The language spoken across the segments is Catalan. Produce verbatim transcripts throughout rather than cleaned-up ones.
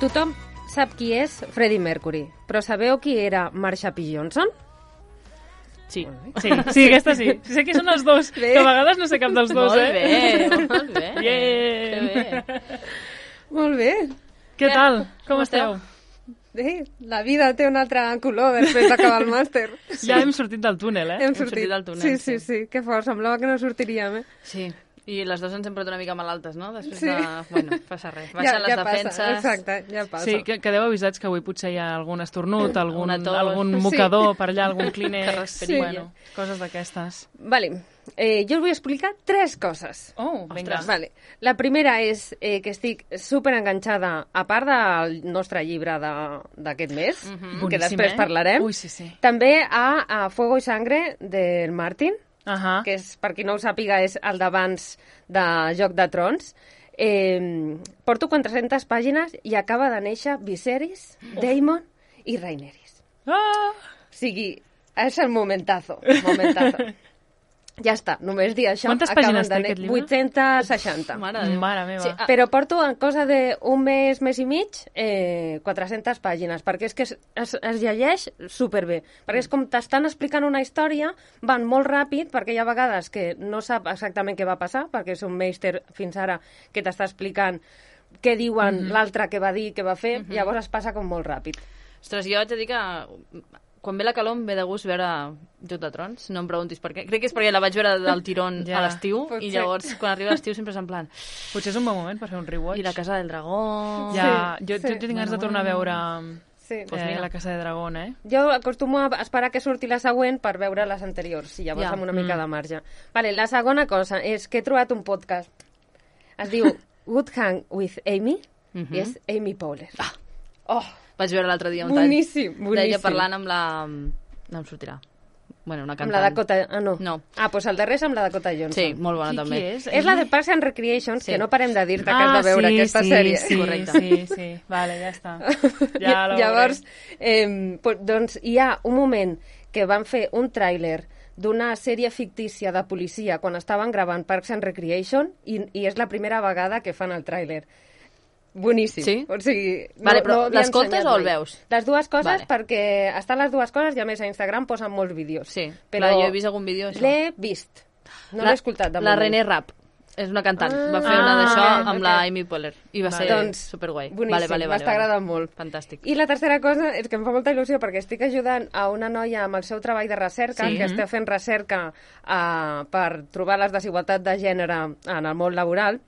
Tothom sap qui és Freddie Mercury, però sabeu qui era Marsha P. Johnson? Sí, sí, sí, aquesta sí. Sé que són els dos, bé. que a vegades no sé cap dels dos, molt eh? bé, molt bé. Bien. Que bé. Molt bé. Què tal? Com Com esteu? Bé, la vida té un altre color després d'acabar el màster. Ja hem sortit del túnel, eh? Hem sortit del túnel, Sí, sí, sí. sí, que fort, semblava que no sortiríem, eh? Sí, i les dues ens hem posat una mica malaltes, no? Després Sí. de... Bueno, passa res. Baixen les ja defenses... Passa, exacte, ja passa. Sí, que, quedeu avisats que avui potser hi ha algun esternut, algun, Una tos. algun Sí. mocador per allà, algun Que clínex, respirilla. bueno, coses d'aquestes. Vale, eh, jo us vull explicar tres coses. Oh, vinga. Vale. La primera és eh, que estic super enganxada, a part del nostre llibre de- d'aquest mes, Mhm. que Boníssim, després eh? parlarem, Ui, sí, sí. també a, a Fuego y Sangre del Martin, Ahà. que és, per qui no ho sàpiga, és el d'abans de Joc de Trons. Eh, porto quatre-centes pàgines i acaba de néixer Viserys, Daemon i Rhaenyra. Ah! O sigui, és el momentazo, momentazo. Ja està, només dir això. Quantes acaben pàgines de té ne- aquest llibre? vuit-cents seixanta. Mare de Déu. Mare meva. Sí, ah, Però porto en cosa d'un mes, mes i mig, eh, quatre-centes pàgines, perquè és que es, es, es llegeix superbé. Perquè és com t'estan explicant una història, van molt ràpid, perquè hi ha vegades que no sap exactament què va passar, perquè és un meister fins ara que t'està explicant què diuen mm -hmm. l'altre que va dir, què va fer, mm -hmm. llavors es passa com molt ràpid. Ostres, jo haig de dir que quan ve la calor em ve de gust veure Joc de Trons, no em preguntis per què. Crec que és perquè la vaig veure del tirón Ja. a l'estiu, Pot i ser. llavors quan arriba l'estiu sempre és en plan... Potser és un bon moment per fer un rewatch. I la Casa del Dragó... Ja, Sí, jo, sí. jo tinc ganes de tornar a veure Sí. pues eh, la Casa de Dragón, eh? Jo acostumo a esperar que surti la següent per veure les anteriors, i llavors Ja. amb una mica Mm. de marge. Vale, la segona cosa és que he trobat un podcast. Es diu Good Hang with Amy, Mhm. i és Amy Poehler. Ah. Oh, Vaig veure l'altre dia un tall. boníssim, boníssim. D'ella parlant amb la... No em sortirà. Bueno, una Amb cantant. la Dakota... Ah, no. No. Ah, doncs el darrer és amb la Dakota Johnson. Sí, molt bona Qui, també. qui és? És la de Parks and Recreations, Sí. que no parem de dir-te que has de veure sí, aquesta sí, sèrie. Sí, Correcte. sí, sí. Vale, ja està. Ja la Llavors, veuré. eh, pues, doncs hi ha un moment que van fer un tràiler d'una sèrie fictícia de policia quan estaven gravant Parks and Recreation i, i és la primera vegada que fan el tràiler. Boníssim. Sí? O sigui, Vale, però havia l'escoltes ensenyat o el mai. veus? Les dues coses, Vale. perquè estan les dues coses i a més a Instagram posen molts vídeos. Sí, però clar, jo he vist algun vídeo això. l'he vist. No La- l'he escoltat de La moment. René Rapp. És una cantant. Ah, va fer una d'això ok, amb ok. la Amy Poehler. I va Vale. ser Doncs, superguai. boníssim, vale, vale, vale, m'està vale. agradant molt. Fantàstic. I la tercera cosa és que em fa molta il·lusió perquè estic ajudant a una noia amb el seu treball de recerca, Sí. que està fent recerca uh, per trobar les desigualtats de gènere en el món laboral.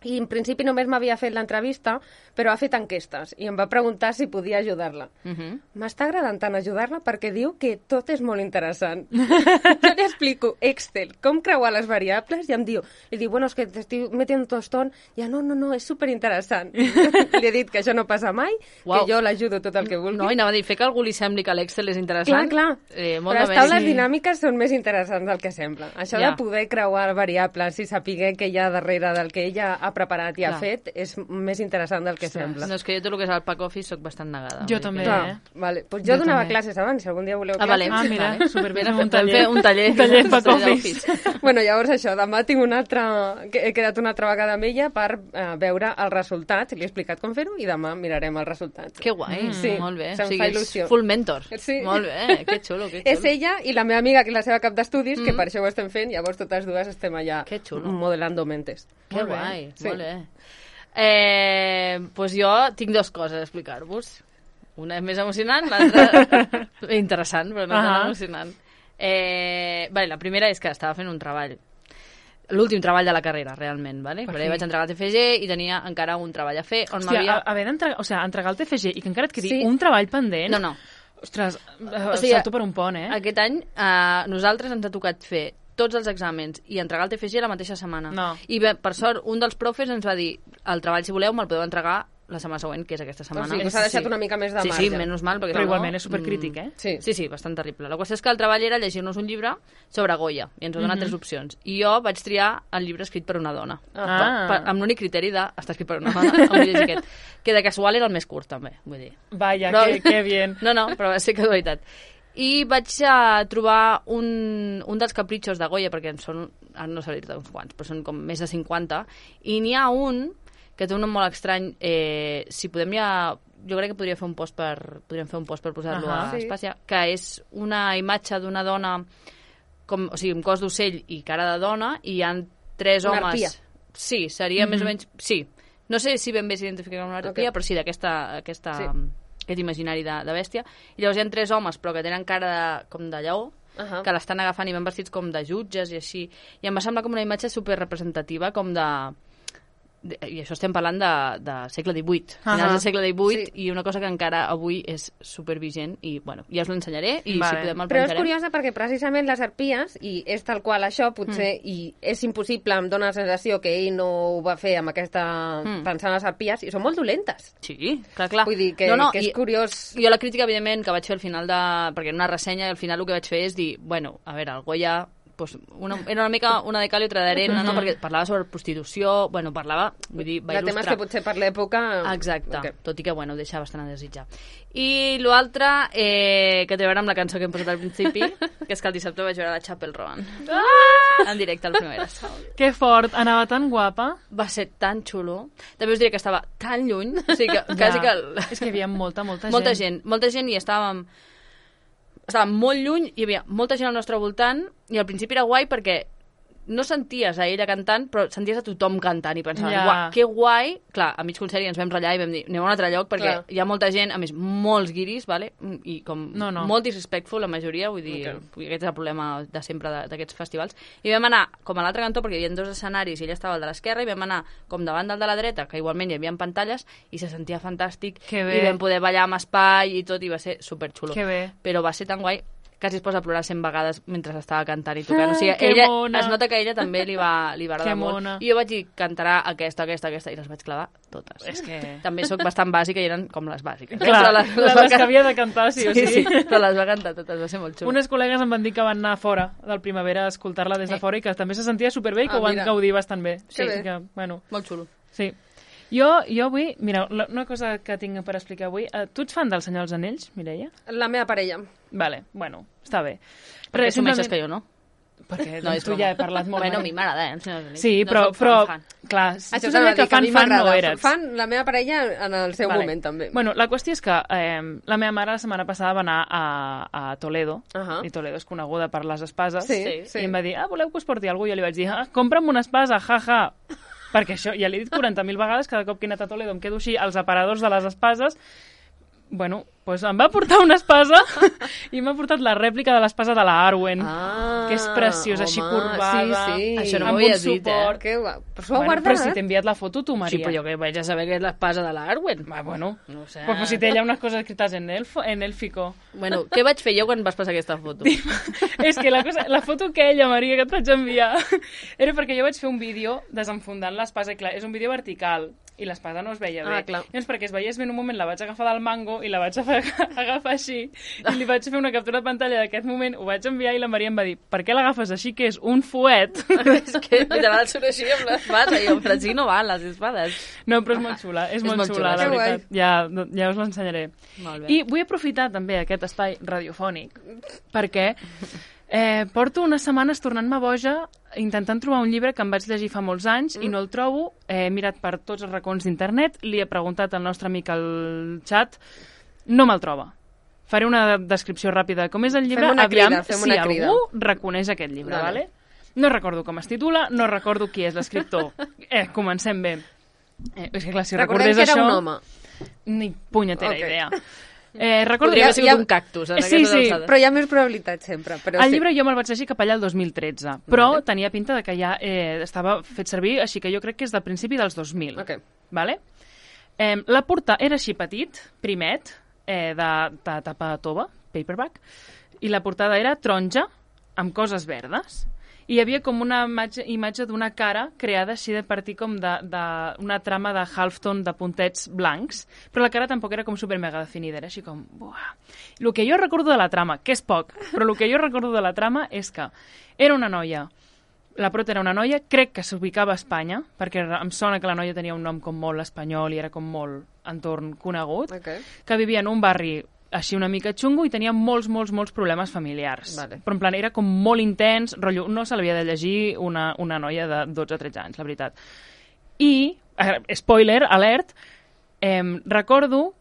I en principi només m'havia fet l'entrevista, però ha fet enquestes i em va preguntar si podia ajudar-la. Uh -huh. M'està agradant tant ajudar-la perquè diu que tot és molt interessant. Jo li explico Excel, com creuar les variables, i em diu, li diu, bueno, és que t'estic metint un tostón, i ja, no, no, no, és superinteressant. Li he dit que això no passa mai, Uau. que jo l'ajudo tot el que vulgui. No, i anava a dir, fer que algú li sembli que l'Excel és interessant. Clar, clar. Eh, molt Però les de taules més. dinàmiques són més interessants del que sembla. Això Ja. de poder creuar variables i saber què hi ha darrere del que ella ha preparat i ha Clar. fet és més interessant del que sembla. No, és que jo tot el que és el pack office soc bastant negada. Jo vull dir també, que- Clar, eh? vale. Pues jo, Jo donava també. classes abans, si algun dia voleu Ah, vale. classes. Ah, mira, Vale. superbé, Mira, fem un vam taller. fer un taller. Un taller Un back taller office. Bueno, llavors això, demà tinc una altra... que he quedat una altra vegada amb ella per eh, veure els resultats. Li he explicat com fer-ho i demà mirarem els resultats. Que guai, Mm. Sí, molt bé. se'm o sigui, fa ets il·lusió. full mentor. Sí. Molt bé, que xulo, que xulo. És ella i la meva amiga, que és la seva cap d'estudis, Mm. que per això ho estem fent, llavors totes dues estem allà Que xulo. modelando mentes. Que Molt bé. guai, Sí. molt bé. Eh, pues jo tinc dues coses a explicar-vos. Una és més emocionant, l'altra interessant, però no tan Ahà. emocionant. Eh, vale, la primera és que estava fent un treball. L'últim treball de la carrera, realment, vale? Per Perquè fi. vaig entregar el T F G i tenia encara un treball a fer on Hòstia, m'havia... a- haver d'entregar, o sigui, entregar el T F G i que encara et quedi Sí. un treball pendent... No, no. Ostres, eh, O sigui, salto per un pont, eh? Aquest any eh, nosaltres ens ha tocat fer tots els exàmens i entregar el T F G la mateixa setmana. No. I bé, per sort, un dels profes ens va dir el treball, si voleu, me'l podeu entregar la setmana següent, que és aquesta O setmana. sigui, que s'ha deixat una mica més de sí, marge. sí, menys mal. Perquè Però si no, igualment és supercrític, eh? Sí. Sí, sí, bastant terrible. La qüestió és que el treball era llegir-nos un llibre sobre Goya, i ens va donar Mhm. tres opcions. I jo vaig triar el llibre escrit per una dona. Ah. Per, per, amb l'únic criteri de estar escrit per una dona, em vull llegir aquest. Que de casual era el més curt, també, vull dir. Vaya, No. que, que bien. No, no, però va ser casualitat. I vaig uh, trobar un, un dels capritxos de Goya, perquè en són, ara no sé dir-te uns quants, però són com més de cinquanta, i n'hi ha un que té un nom molt estrany. Eh, si podem ja... Jo crec que podria fer un post per, podríem fer un post per posar-lo uh -huh, a Espàcia, sí. Que és una imatge d'una dona, com, o sigui, un cos d'ocell i cara de dona, i hi ha tres una homes... Arpia. Sí, seria mm -hmm. més o menys... Sí, no sé si ben bé s'identifica com una arpia, okay. però sí, d'aquesta... Aquesta, sí. Aquest imaginari de, de bèstia. I llavors hi ha tres homes, però que tenen cara de, com de lleó, uh -huh. que l'estan agafant i van vestits com de jutges i així. I em va semblar com una imatge superrepresentativa, com de... I això estem parlant de, de segle divuit, uh -huh. finals del segle divuit, sí. I una cosa que encara avui és supervigent i, bueno, ja us l'ensenyaré i vale. Si podem el Però penjarem. és curiosa perquè precisament les arpies, i és tal qual això, potser, mm. i és impossible, em dóna la sensació que ell no ho va fer amb aquesta... Mm. pensant en les arpies, i són molt dolentes. Sí, clar, clar. Vull dir que, no, no, que és i, curiós... Jo la crítica, evidentment, que vaig fer al final de... perquè en una ressenya, al final el que vaig fer és dir, bueno, a veure, el Goya... Pues una, era una mica una de cal i otra d'arena, no? Perquè parlava sobre prostitució, bueno, parlava, vull dir, va il·lustrar. De temes que potser per l'època... Exacte, okay. Tot i que, bueno, ho deixa bastant a desitjar. I l'altre, eh, que té a veure amb la cançó que hem posat al principi, que és que el dissabte vaig veure la Chapel Roan. Ah! En directe, les primeres. Que fort, anava tan guapa. Va ser tan xulo. També us diré que estava tan lluny, o sigui que ja. quasi que... El... És que hi havia molta, molta gent. Molta gent, molta gent i estàvem... estàvem molt lluny, hi havia molta gent al nostre voltant i al principi era guai perquè no senties a ella cantant, però senties a tothom cantant i pensaves, yeah. Uah, que guai. Clar, a mig concert ens vam ratllar i vam dir, anem a un altre lloc perquè clar. Hi ha molta gent, a més, molts guiris, vale? I com no, no. molt disrespectful, la majoria, vull dir, okay. Aquest és el problema de sempre d'aquests festivals. I vam anar com a l'altre cantó, perquè hi havia dos escenaris i ella estava al de l'esquerra, i vam anar com davant del de la dreta, que igualment hi havia pantalles, i se sentia fantàstic, i vam poder ballar amb espai i tot, i va ser superxulo. Que bé. Però va ser tan guai, quasi es posa a plorar cent vegades mentre estava cantant i tocant. O sigui, ella, es nota que a ella també li va, li va agradar molt. I jo vaig dir, cantarà aquesta, aquesta, aquesta, i les vaig clavar totes. És que... També sóc bastant bàsica i eren com les bàsiques. Clar, les, les, les que havia de cantar, sí o sí. Sí, sí, però les va cantar totes, va ser molt xulo. Unes col·legues em van dir que van anar fora del Primavera a escoltar-la des de fora i que també se sentia superbé i que ah, ho van gaudir bastant bé. Sí, sí que, bueno. Molt xulo. Sí. Jo, jo avui, mira, una cosa que tinc per explicar avui, uh, tu ets fan del Senyor dels Anells, Mireia? La meva parella. Vale, bueno, està bé. Perquè assumeixes simplement... que jo no? Perquè no, doncs, tu ja he parlat molt. Bueno, a mi m'agrada, eh, el Senyor dels Anells. Sí, no però, però fan, clar, això tu sabia que fan, fan no eres. Fan la meva parella en el seu vale. moment, també. Bueno, la qüestió és que eh, la meva mare la setmana passada va anar a, a Toledo, uh -huh. i Toledo és coneguda per les espases, sí, sí. i em va dir, ah, voleu que us porti alguna cosa? I jo li vaig dir, ah, compra'm una espasa, jaja. Ja. Perquè això, ja l'he dit quaranta mil vegades, cada cop que he anat a Toledo em quedo així, als aparadors de les espases. Bueno, doncs em va portar una espasa i m'ha portat la rèplica de l'espasa de la Arwen, ah, que és preciosa, home, així corbada, sí, sí. Això no amb un suport. Eh? Que guai. Però s'ho ha bueno, guardat? Però si t'he enviat la foto, tu, Maria. Sí, però jo que vaig a saber que és l'espasa de la Arwen. Ah, bueno, no sé. Pues, pues si té allà unes coses escrites en, elfo, en élfico. Bueno, què vaig fer jo quan vas passar aquesta foto? És que la, cosa, la foto que ella, Maria, que et vaig enviar, era perquè jo vaig fer un vídeo desenfundant l'espasa, i clar, és un vídeo vertical, i l'espasa no es veia bé. Ah, clar. Llavors, perquè es veiés bé en un moment, la vaig agafar del mango i la vaig agafar així, i li vaig fer una captura de pantalla d'aquest moment, ho vaig enviar i la Maria em va dir, per què l'agafes així, que és un fuet? És que literal surt així amb l'espasa, i jo, però així no van les espades. No, però és molt xula, és, és molt, molt xula, xula, la veritat. Ja, ja us l'ensenyaré. I vull aprofitar també aquest espai radiofònic, perquè eh, porto unes setmanes tornant-me boja intentant trobar un llibre que em vaig llegir fa molts anys mm. i no el trobo. He mirat per tots els racons d'internet, li he preguntat al nostre amic al xat, no me'l troba. Faré una descripció ràpida de com és el llibre, fem una aviam crida, fem si una algú crida. reconeix aquest llibre, vale. Vale? No recordo com es titula, no recordo qui és l'escriptor. Eh, comencem bé. Eh, és que clar, si recordem recordés que era això... un home. Ni punyetera okay. idea. Eh, recordo... Podria haver sigut ja, un cactus. En sí, sí, però hi ha més probabilitat sempre. Però el sí. llibre jo me'l vaig llegir cap allà el dos mil tretze, però vale. tenia pinta de que ja eh, estava fet servir, així que jo crec que és del principi dels dos mil. Okay. Vale? Eh, la portada era així petit, primet, eh, de, de tapa tova, paperback, i la portada era taronja amb coses verdes. I hi havia com una imatge, imatge d'una cara creada així de partir com d'una trama de Halfton de puntets blancs, però la cara tampoc era com super mega definida, era així com... Buah. El que jo recordo de la trama, que és poc, però el que jo recordo de la trama és que era una noia, la prota era una noia, crec que s'ubicava a Espanya, perquè em sona que la noia tenia un nom com molt espanyol i era com molt entorn conegut, okay. que vivia en un barri així una mica xungo i tenia molts, molts, molts problemes familiars. Vale. Però en plan era com molt intens, rotllo, no se l'havia de llegir una, una noia de dotze o tretze anys, la veritat. I spoiler, alert, eh, recordo,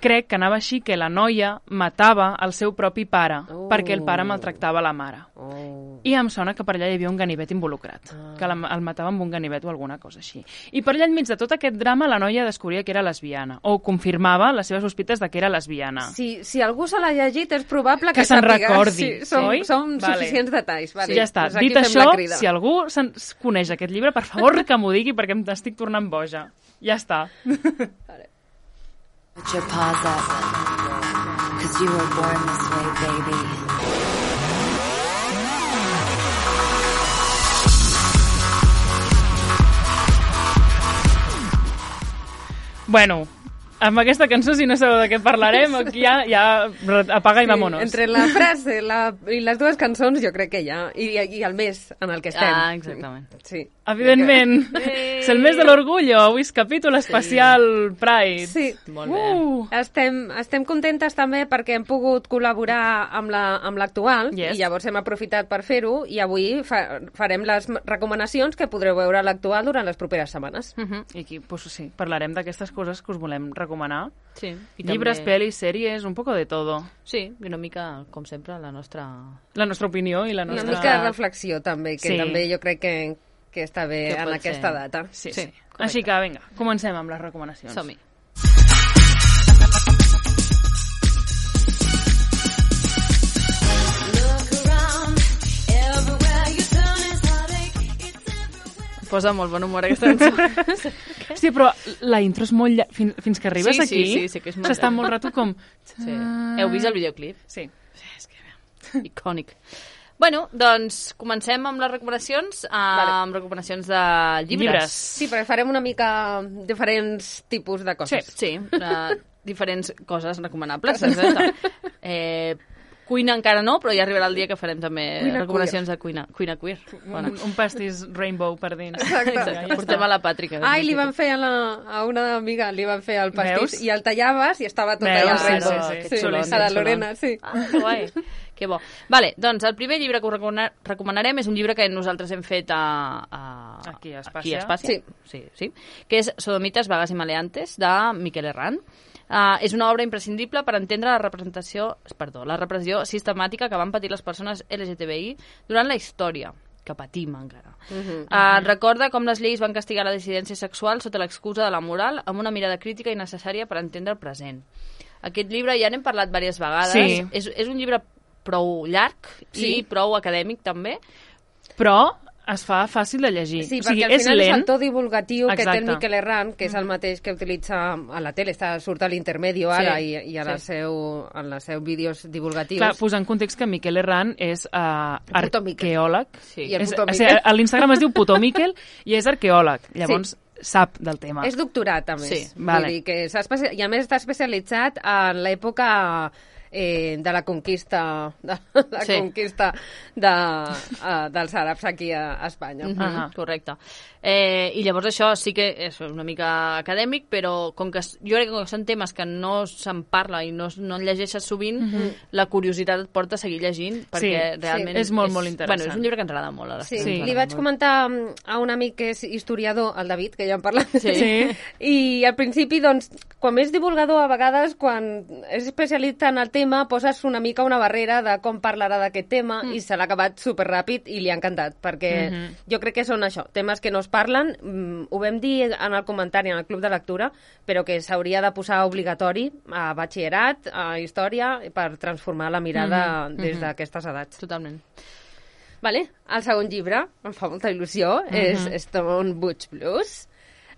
crec que anava així, que la noia matava el seu propi pare, oh. perquè el pare maltractava la mare. Oh. I em sona que per allà hi havia un ganivet involucrat, ah. que la, el matava amb un ganivet o alguna cosa així. I per allà enmig de tot aquest drama la noia descobria que era lesbiana, o confirmava les seves sospites de que era lesbiana. Si, si algú se l'ha llegit és probable que, que se'n recordi. Sí, són, oi? són vale. suficients detalls. Vale. Sí, ja està. Pues dit això, si algú coneix aquest llibre, per favor que m'ho digui perquè em estic tornant boja. Ja està. Vale. Put your paws up, 'cause you were born this way, baby. Bueno, amb aquesta cançó, si no sabeu de què parlarem, aquí ja, ja apaga i sí, vámonos. Entre la frase la, i les dues cançons, jo crec que ja... I, i el mes en el que estem. Ah, exactament. Sí. Evidentment. Que... És el mes de l'orgullo. Avui és capítol especial sí. Pride. Sí. Molt bé. Uh. Estem, estem contentes també perquè hem pogut col·laborar amb l'actual la, yes. i llavors hem aprofitat per fer-ho i avui fa, farem les recomanacions que podreu veure a l'actual durant les properes setmanes. Uh -huh. I aquí, pues, sí, parlarem d'aquestes coses que us volem recomanar. Sí. I Llibres, també... pel·lis, sèries, un poco de todo. Sí, i una mica, com sempre, la nostra... La nostra opinió i la nostra... Una mica de reflexió, també, que sí. també jo crec que, que està bé que en aquesta ser. data. Sí, sí. sí. Així que, vinga, comencem amb les recomanacions. Som-hi. Posa molt bon humor aquesta cançó. Sí, però la intro és molt llarga. Fins, fins que arribes sí, aquí, sí, sí, sí, que és molt s'està molt rato com... Sí. Heu vist el videoclip? Sí. Sí, és que... Icònic. Bueno, doncs comencem amb les recomanacions, vale. amb recomanacions de llibres. llibres. Sí, perquè farem una mica diferents tipus de coses. Sí, sí uh, diferents coses recomanables. eh, cuina encara no, però ja arribarà el dia que farem també cuina recomanacions queer. de cuina, cuina queer. Bueno. Un, un pastís rainbow per dins. Exacte. Exacte. Ja Portem a la Pàtrica. Ai, li van fer a, la, a una amiga, li van fer el pastís Veus? i el tallaves i estava tot Veus? allà Sí, rainbow. sí, sí. sí, Xulon, a la Lorena, sí. Ah, que guai. Que bo. Vale, doncs el primer llibre que us recomanarem és un llibre que nosaltres hem fet a, a, aquí a Espàcia, aquí a Espàcia. Sí. Sí, sí, que és Sodomites, vagues i maleantes, de Miquel Herrán. Uh, és una obra imprescindible per entendre la representació, perdó, la repressió sistemàtica que van patir les persones L G T B I durant la història, que patim encara. Uh -huh, uh, uh, recorda com les lleis van castigar la dissidència sexual sota l'excusa de la moral amb una mirada crítica i necessària per entendre el present. Aquest llibre ja n'hem parlat diverses vegades. Sí. És, és un llibre prou llarg sí. i prou acadèmic també. Però es fa fàcil de llegir. Sí, o sigui, perquè al és final lent. és el to divulgatiu Exacte. que té el Miquel Herrán, que és el mateix que utilitza a la tele, està, surt a l'intermedio ara sí, i, i a la sí. seu, en els seus vídeos divulgatius. Clar, posar en context que Miquel Herrán és uh, arqueòleg. Sí. I el és, puto o sigui, a l'Instagram es diu puto Miquel i és arqueòleg. Llavors, sí. sap del tema. És doctorat, a més. Sí, vale. Vull dir que s'ha especi... I a més està especialitzat en l'època eh, de la conquista de la sí. conquista de, uh, dels àrabs aquí a, a Espanya. Mm -hmm, uh -huh. Correcte. Eh, I llavors això sí que és una mica acadèmic, però com que jo crec que són temes que no se'n parla i no, no en llegeixes sovint, mm -hmm. la curiositat et porta a seguir llegint, perquè sí, realment... Sí. És molt, molt interessant. Bueno, és un llibre que ens agrada molt. A sí. sí. Li vaig comentar a un amic que és historiador, el David, que ja en parlat, sí. sí. i al principi, doncs, quan és divulgador, a vegades, quan és especialista en el tema, poses una mica una barrera de com parlarà d'aquest tema, mm. i se l'ha acabat superràpid i li ha encantat, perquè mm -hmm. jo crec que són això, temes que no es parlen, mm, ho vam dir en el comentari en el Club de Lectura, però que s'hauria de posar obligatori a batxillerat, a història, per transformar la mirada mm -hmm. des d'aquestes edats. Totalment. Vale. El segon llibre, em fa molta il·lusió, mm -hmm. és Stone Butch Blues,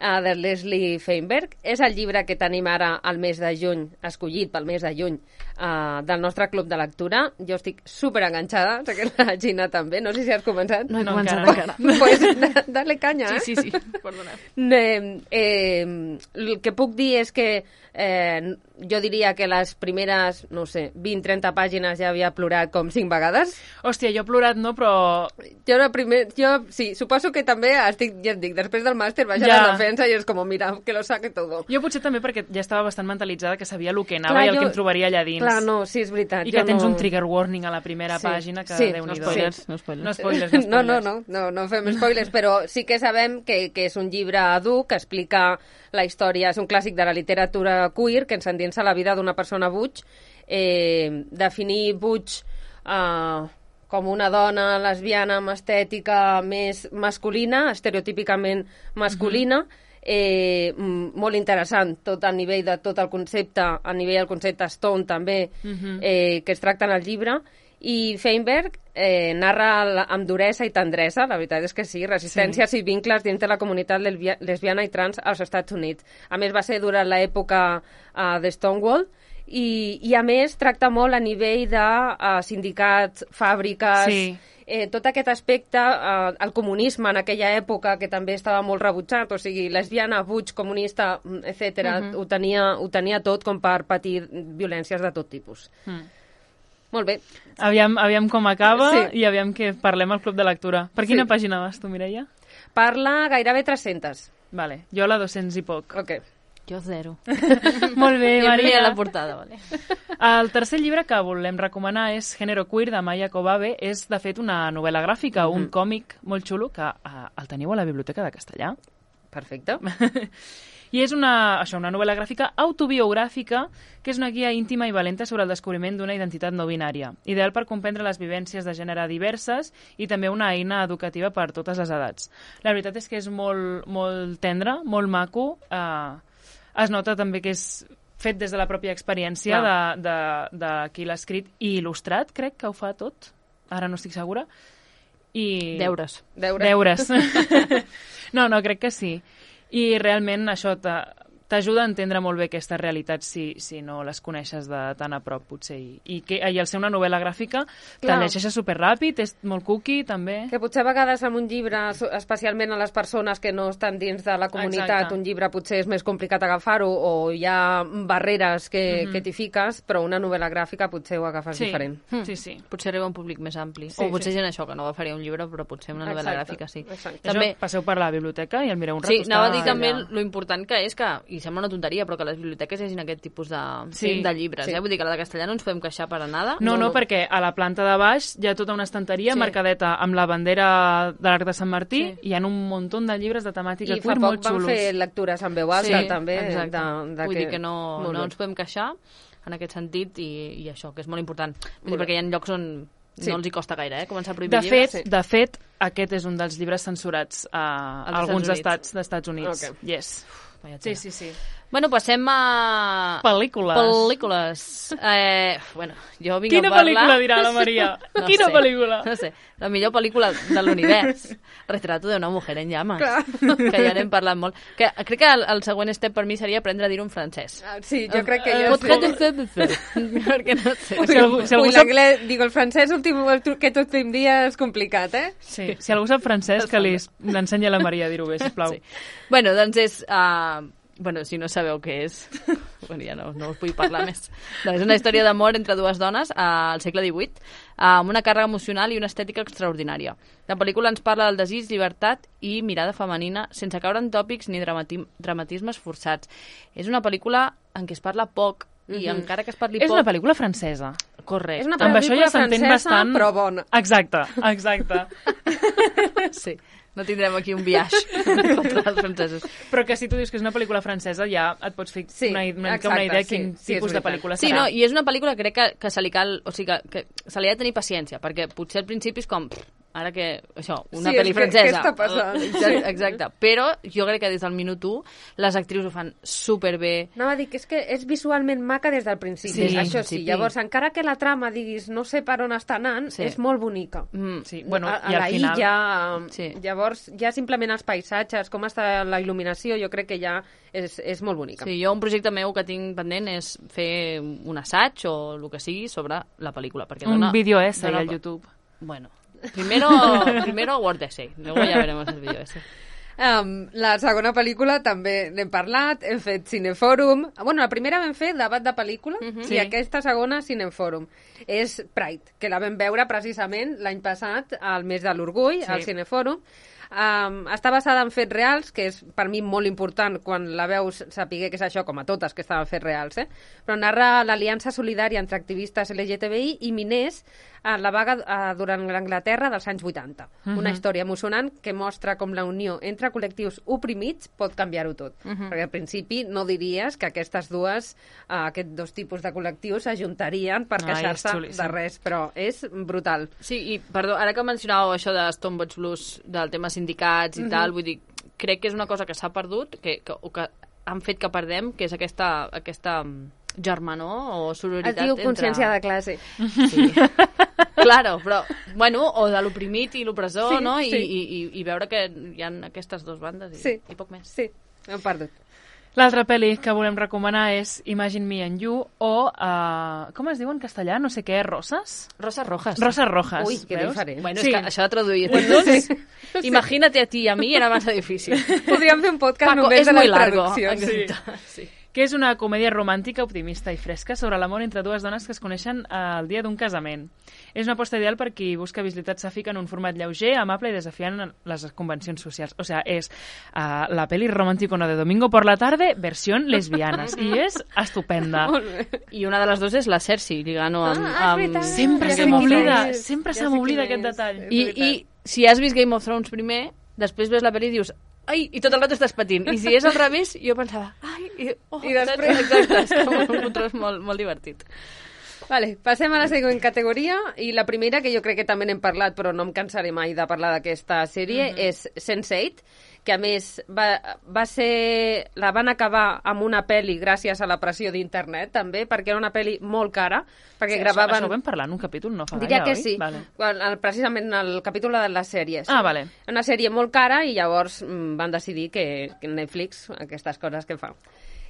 uh, de Leslie Feinberg. És el llibre que tenim ara al mes de juny, escollit pel mes de juny, uh, del nostre club de lectura. Jo estic super enganxada, sé que la Gina també. No sé si has començat. No he no, començat encara. encara. Pues dale canya, eh? Sí, sí, sí. Perdona. Eh, eh, el que puc dir és que eh, jo diria que les primeres, no sé, vint trenta pàgines ja havia plorat com cinc vegades. Hòstia, jo he plorat no, però... Jo, la primer, jo sí, suposo que també estic, ja et dic, després del màster vaig a ja. la defensa i és com, mira, que lo saque todo. Jo potser també perquè ja estava bastant mentalitzada que sabia el que anava clar, i el jo, que em trobaria allà dins. clar, no, sí, és veritat. I que tens no... un trigger warning a la primera sí. pàgina que sí. Déu-n'hi-do. No spoilers, no spoilers. No spoilers, no spoilers. No, no, no, no, no fem spoilers, però sí que sabem que, que és un llibre dur que explica la història, és un clàssic de la literatura queer que ens endinsa la vida d'una persona butch. Eh, definir butch eh, com una dona lesbiana amb estètica més masculina, estereotípicament masculina, mm-hmm. Eh, molt interessant tot a nivell de tot el concepte, a nivell del concepte Stone també, uh-huh. eh, que es tracta en el llibre, i Feinberg eh, narra la, amb duresa i tendresa, la veritat és que sí, resistències sí. i vincles dins de la comunitat lesbiana i trans als Estats Units. A més, va ser durant l'època uh, de Stonewall, i, i a més tracta molt a nivell de uh, sindicats, fàbriques... Sí. Eh, tot aquest aspecte, eh, el comunisme en aquella època, que també estava molt rebutjat, o sigui, lesbiana, butch, comunista, etcètera, uh-huh. ho, tenia, ho tenia tot com per patir violències de tot tipus. Mm. Molt bé. Aviam, aviam com acaba sí. i aviam que parlem al Club de Lectura. Per quina sí. pàgina vas tu, Mireia? Parla gairebé tres-centes. Vale, jo la dos-cents i poc. Ok. Jo zero. Molt bé, Maria. la portada, vale. El tercer llibre que volem recomanar és Género queer, de Maya Kobabe. És, de fet, una novel·la gràfica, mm-hmm. un còmic molt xulo que uh, el teniu a la Biblioteca de Castellà. Perfecte. I és una, això, una novel·la gràfica autobiogràfica que és una guia íntima i valenta sobre el descobriment d'una identitat no binària, ideal per comprendre les vivències de gènere diverses i també una eina educativa per totes les edats. La veritat és que és molt, molt tendre, molt maco, eh, es nota també que és fet des de la pròpia experiència de, de, de qui l'ha escrit i il·lustrat, crec que ho fa tot, ara no estic segura. I... Deures. Deures. Deures. No, no, crec que sí. I realment això t'ajuda a entendre molt bé aquestes realitats si, si no les coneixes de tan a prop, potser. I, i, que, i al ser una novel·la gràfica, te'l llegeixes superràpid, és molt cookie, també. Que potser a vegades amb un llibre, especialment a les persones que no estan dins de la comunitat, exacte. Un llibre potser és més complicat agafar-ho o hi ha barreres que, mm-hmm. que t'hi fiques, però una novel·la gràfica potser ho agafes sí. diferent. Mm. Sí, sí. Potser arriba a un públic més ampli. Sí, o potser sí. gent això, que no agafaria un llibre, però potser una novel·la exacte, gràfica sí. Exacte. També... Això, passeu per la biblioteca i el mireu un rato. Sí, anava a dir també allà. Lo important que és que, i sembla una tonteria, però que a les biblioteques hi hagi aquest tipus de, sí. de llibres. Sí. Eh? Vull dir que a la de Castellà no ens podem queixar per a nada. No, no, no, perquè a la planta de baix hi ha tota una estanteria sí. marcadeta amb la bandera de l'Arc de Sant Martí sí. i hi ha un munt de llibres de temàtica I queer molt xulos. I fa poc van fer lectures en veu alta, sí, també. Exacte. De, de Vull que... dir que no, no ens podem queixar en aquest sentit i, i això, que és molt important. Vull dir, perquè hi ha llocs on sí. no els hi costa gaire, eh? Començar a prohibir de fet, llibres. Sí. De fet, aquest és un dels llibres censurats a, a alguns estats d'Estats Units. Okay. Yes. Sí, sí, sí. Bueno, passem a... Pel·lícules. Pel·lícules. Eh, bueno, jo vinc Quina a parlar... Quina pel·lícula dirà la Maria? no Quina sé, pel·lícula? No sé, la millor pel·lícula de l'univers. Retrato d'una mujer en llames. Clar. Que ja n'hem parlat molt. Que, crec que el, el següent step per mi seria aprendre a dir-ho en francès. Ah, sí, jo crec que jo... Potret de fer, perquè no sé. Si algú, si algú sap... Digo, el francès últim, aquest últim dia és complicat, eh? Sí, si algú sap francès, que li ensenyi a la Maria a dir-ho bé, sisplau. Sí. Bueno, doncs és... Uh, Bueno, si no sabeu què és, bueno, ja no, no us vull parlar més. No, és una història d'amor entre dues dones uh, al segle divuit, uh, amb una càrrega emocional i una estètica extraordinària. La pel·lícula ens parla del desig, llibertat i mirada femenina, sense caure en tòpics ni dramati dramatismes forçats. És una pel·lícula en què es parla poc, i mm-hmm. encara que es parli és poc... És una pel·lícula francesa. Correcte. És una pel·lícula ja francesa, bastant... però bona. Exacte, exacte. Sí. No tindrem aquí un viatge contra els francesos. Però que si tu dius que és una pel·lícula francesa ja et pots fer sí, una, una, exacte, una idea de quin sí, tipus sí, de pel·lícula sí, serà. No, i és una pel·lícula que crec que, que se li cal... O sigui, que, que se li ha de tenir paciència, perquè potser al principi és com... Ara que, això, una sí, pel·li francesa. Què està passant? Exacte, exacte. Però jo crec que des del minut u les actrius ho fan superbé. Anava a dir que és que és visualment maca des del principi. Sí, això sí. Llavors, encara que la trama, diguis, no sé per on està anant, sí. és molt bonica. Mm, sí. Bueno, a, a i al la final... illa, sí. Llavors, ja simplement els paisatges, com està la il·luminació, jo crec que ja és, és molt bonica. Sí, jo un projecte meu que tinc pendent és fer un assaig o el que sigui sobre la pel·lícula. Perquè un dona, vídeo essay dona... al YouTube. Bueno... Primero, primero Word Essay, luego ya veremos el vídeo ese. Um, la segona pel·lícula també n'hem parlat, hem fet Cinefòrum. Bueno, la primera vam fer debat de pel·lícula uh-huh. i sí. aquesta segona Cinefòrum. És Pride, que la vam veure precisament l'any passat, al mes de l'orgull, sí. al Cinefòrum. Um, està basada en fets reals, que és per mi molt important quan la veus saber que és això, com a totes que estaven fets reals, eh? Però narra l'aliança solidària entre activistes L G T B I i miners a la vaga uh, durant l'Anglaterra dels anys vuitanta. Uh-huh. Una història emocionant que mostra com la unió entre col·lectius oprimits pot canviar-ho tot. Uh-huh. Perquè al principi no diries que aquestes dues, uh, aquests dos tipus de col·lectius s'ajuntarien per queixar-se de res, però és brutal. Sí, i perdó, ara que mencionàveu això de Stonebridge Blues, del tema sindicats i uh-huh. tal, vull dir, crec que és una cosa que s'ha perdut, que, que, o que han fet que perdem, que és aquesta, aquesta germanor o sororitat. Es diu consciència entre... de classe. Sí. Claro, però, bueno, o de l'oprimit i l'opressor, sí, no? I, sí. i, i, I veure que hi ha aquestes dues bandes i, sí. i poc més. Sí, hem perdut. L'altra pel·li que volem recomanar és Imagine Me and You o, uh, com es diu en castellà? No sé què, Roses? Roses Rojas. Roses Rojas. Ui, que diferent. Bueno, sí. és que això de traduir títols, sí. Imagínate a ti i a mi era massa difícil. Podríem fer un podcast Paco, només és de muy les largo. traduccions. Sí. Sí. Que és una comèdia romàntica, optimista i fresca sobre l'amor entre dues dones que es coneixen el dia d'un casament. És una aposta ideal per qui busca visibilitat sàfica en un format lleuger, amable i desafiant les convencions socials. O sea, és uh, la peli romántico de domingo por la tarde, versión lesbianas. I és estupenda. I una de les dues és la Cersei, lligant-ho amb... Ah, amb... Sempre ja se m'oblida, és. sempre Ja se sé m'oblida quin aquest és. detall. I, I si has vist Game of Thrones primer, després ves la pel·li i dius ai, i tot el rato estàs patint. I si és al revés, jo pensava ai, i, oh, I després... Exacte, és com un control molt, molt divertit. Vale, passem a la següent categoria i la primera, que jo crec que també n'hem parlat però no em cansaré mai de parlar d'aquesta sèrie, mm-hmm. és sense eight, que a més va, va ser... la van acabar amb una pel·li gràcies a la pressió d'internet també, perquè era una pel·li molt cara, perquè Sí, gravaven... Això, això ho vam parlar en un capítol, no fa Diria gaire, que oi? sí, Vale. Quan, el, precisament el capítol de les sèries. Ah, vale. Una sèrie molt cara i llavors mm, van decidir que, que Netflix, aquestes coses que fa.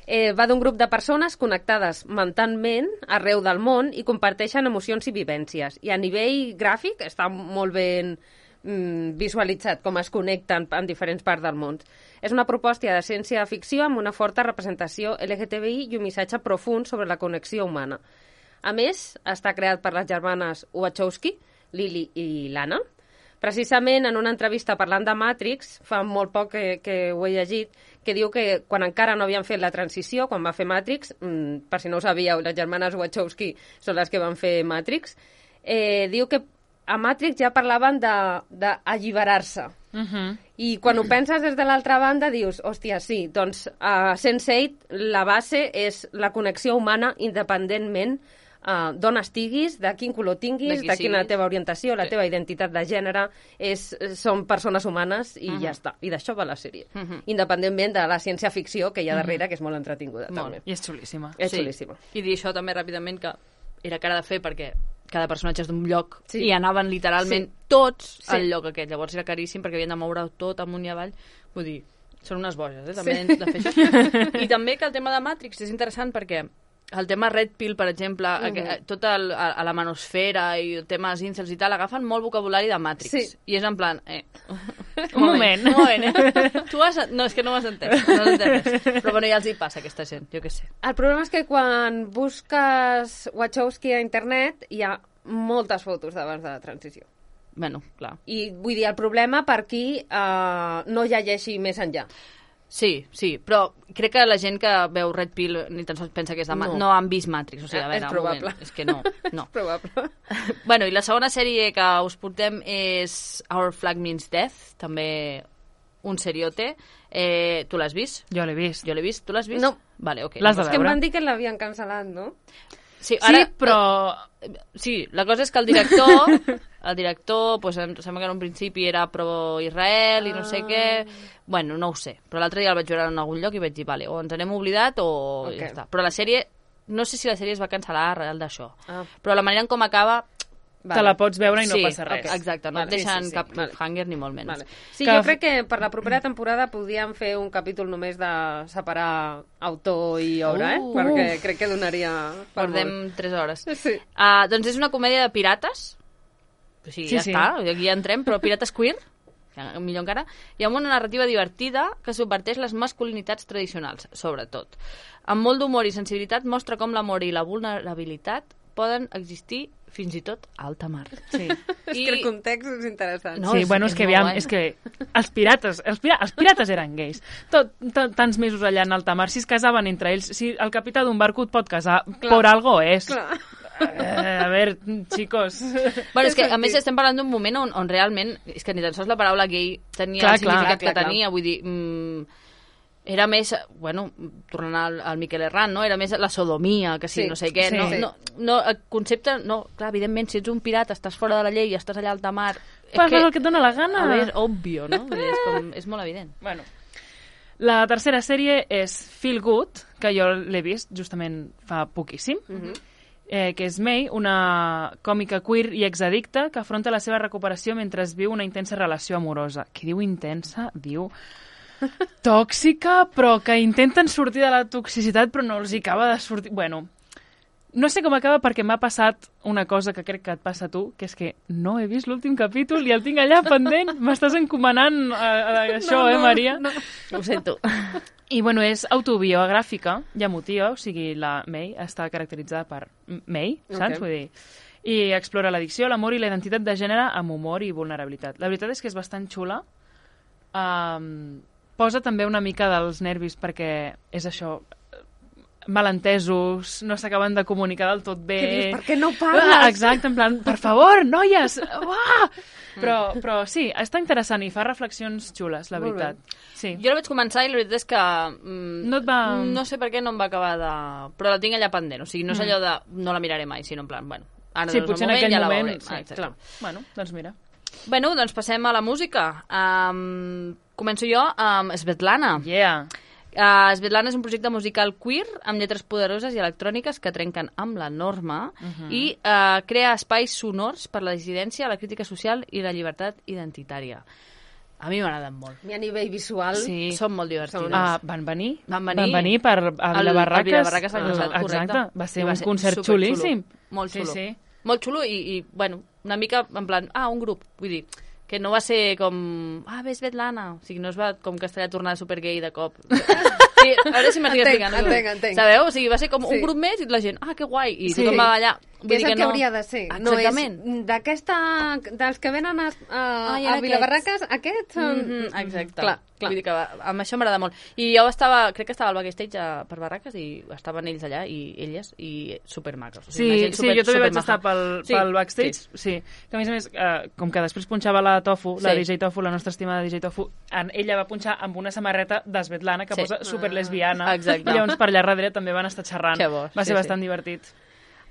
Eh, va d'un grup de persones connectades mentalment arreu del món i comparteixen emocions i vivències. I a nivell gràfic està molt ben mm, visualitzat com es connecten en diferents parts del món. És una proposta de ciència-ficció amb una forta representació L G T B I i un missatge profund sobre la connexió humana. A més, està creat per les germanes Wachowski, Lily i Lana. Precisament en una entrevista parlant de Matrix, fa molt poc que, que ho he llegit, que diu que quan encara no havien fet la transició, quan va fer Matrix, mmm, per si no ho sabíeu, les germanes Wachowski són les que van fer Matrix, eh, diu que a Matrix ja parlaven d'alliberar-se. Uh-huh. I quan ho penses des de l'altra banda dius, hòstia, sí, doncs a sense eight la base és la connexió humana independentment Uh, d'on estiguis, de quin color tinguis, de, de quina la teva orientació, la sí. teva identitat de gènere, és, són persones humanes i uh -huh. ja està. I d'això va la sèrie. Uh -huh. Independentment de la ciència-ficció que hi ha darrere, uh -huh. que és molt entretinguda. Molt. També. I és xulíssima. És sí. xulíssima. I dir això també ràpidament que era cara de fer perquè cada personatge és d'un lloc sí. i anaven literalment sí. tots sí. al lloc aquest. Llavors era caríssim perquè havien de moure tot amunt i avall. Vull dir, són unes boges, eh? També sí. de fer això. I també que el tema de Matrix és interessant perquè el tema Red Pill, per exemple, uh -huh. tot el, a, a la manosfera i temes incels i tal, agafen molt vocabulari de Matrix. Sí. I és en plan... Eh. Un moment. Un moment, eh? Tu has... No, és que no m'has entès. No has entès res. Però bueno, ja els hi passa, aquesta gent, jo què sé. El problema és que quan busques Wachowski a internet hi ha moltes fotos d'abans de la transició. Bueno, clar. I vull dir, el problema per qui uh, no llegeixi més enllà. Sí, sí, però crec que la gent que veu Red Pill ni tan sols pensa que és de Ma- no. no han vist Matrix, o sigui, a veure, és probable. un moment, és que no, no. És probable. Bueno, i la segona sèrie que us portem és Our Flag Means Death, també un seriote. Eh, tu l'has vist? Jo l'he vist. Jo l'he vist. Tu l'has vist? No. Vale, ok. L'has de És que em veure. van dir que l'havien cancel·lat, no? Sí, ara, Sí, però... Sí, la cosa és que el director, el director, pues, em sembla que en un principi era pro-Israel i no sé què... Bueno, no ho sé, però l'altre dia el vaig veure en algun lloc i vaig dir, vale, o ens n'hem oblidat o okay. ja està. Però la sèrie, no sé si la sèrie es va cancel·lar arrel d'això, ah. però la manera en com acaba... Vale. Te la pots veure i no sí, passa res. Okay. Exacte, no vale, et deixen sí, sí, sí. cap vale. cliffhanger ni molt menys. Vale. Sí, que... jo crec que per la propera temporada podríem fer un capítol només de separar autor i obra, Uh, eh? Perquè crec que donaria per Perdem molt. tres hores. Sí. Uh, doncs és una comèdia de pirates, o sigui, Sí, ja sí. està, aquí ja entrem, però pirates queer, millor encara, i amb una narrativa divertida que subverteix les masculinitats tradicionals, sobretot. Amb molt d'humor i sensibilitat mostra com l'amor i la vulnerabilitat poden existir fins i tot alta mar. Sí. És que el context és interessant. No, sí, és, bueno, és, és que, aviam, és que els pirates, els, pira, els pirates eren gais. Tot, tot, tants mesos allà en alta mar, si es casaven entre ells, si el capità d'un barco et pot casar, clar, por algo és. Clar. Eh, a veure, chicos... Bueno, és que, a més, estem parlant d'un moment on, on realment, és que ni tan sols la paraula gay tenia clar, el significat clar, que clar, tenia, clar. vull dir... Mm, era més, bueno, tornant al, al Miquel Herrán, no? Era més la sodomia, que sí, sí. no sé què. Sí. No, no, no, el concepte, no, clar, evidentment, si ets un pirata, estàs fora de la llei i estàs allà a alta mar... Fas el que et dona la gana. A veure, és òbvio, no? Vull dir, és, com, és molt evident. Bueno, la tercera sèrie és Feel Good, que jo l'he vist justament fa poquíssim, mm-hmm. eh, que és May, una còmica queer i exaddicta que afronta la seva recuperació mentre viu una intensa relació amorosa. Qui diu intensa, diu... tòxica, però que intenten sortir de la toxicitat però no els hi acaba de sortir... Bueno, no sé com acaba perquè m'ha passat una cosa que crec que et passa a tu, que és que no he vist l'últim capítol i el tinc allà pendent. M'estàs encomanant a, a això, no, no, eh, Maria? No, ho sento. I, bueno, és autobiogràfica i emotiva, o sigui, la May està caracteritzada per May, saps? Okay. Vull dir... I explora l'addicció, l'amor i la identitat de gènere amb humor i vulnerabilitat. La veritat és que és bastant xula. Um, posa també una mica dels nervis perquè és això, malentesos, no s'acaben de comunicar del tot bé. Què dius? Per què no parles? Ah, exacte, en plan, per favor, noies! Ah! Però, però sí, està interessant i fa reflexions xules, la veritat. Sí. Jo la vaig començar i la veritat és que... Mm, no et va... No sé per què no em va acabar de... Però la tinc allà pendent, o sigui, no és allò de... No la miraré mai, sinó en plan, bueno, ara sí, doncs potser el moment en aquell ja moment, la veuré. sí, clar. Bueno, doncs mira. Bueno, doncs passem a la música. Um, començo jo amb Svetlana. Yeah. Uh, Svetlana és un projecte musical queer amb lletres poderoses i electròniques que trenquen amb la norma uh-huh. i uh, crea espais sonors per la dissidència, la crítica social i la llibertat identitària. A mi m'agraden molt. I a nivell visual... Sí, són molt divertides. Uh, van venir? Van venir. Van venir per a Vilabarraques. El Vilabarraques l'any passat, correcte. Exacte, va ser va un ser concert xulíssim. Molt xulo. Sí, sí. Molt xulo i, i, bueno, una mica en plan, ah, un grup, vull dir, que no va ser com, ah, ves Svetlana, o sigui, no es va com castellà tornar supergay de cop. Sí, a veure si m'estic explicant. Entenc, entenc. Sabeu? O sigui, va ser com sí. un grup més i la gent, ah, que guai, i sí. tothom va allà. Vull és el que, que no... hauria de ser. Exactament. No és d'aquesta, dels que venen a, a, ah, a Vilabarraques, aquests són... Mm-hmm, exacte. Clar, clar. Vull dir que amb això m'agrada molt. I jo estava, crec que estava al backstage a, per Barraques i estaven ells allà i elles i supermacos. O sigui, sí, super, sí, jo també vaig maja. estar pel, sí, pel backstage. Sí. sí. Que a més a més, eh, com que després punxava la Tofu, sí. la D J Tofu, la nostra estimada D J Tofu, en, ella va punxar amb una samarreta de Svetlana que sí. posa superlesbiana. Ah, exacte. I llavors per allà darrere també van estar xerrant. Que bo, va sí, ser bastant sí. divertit.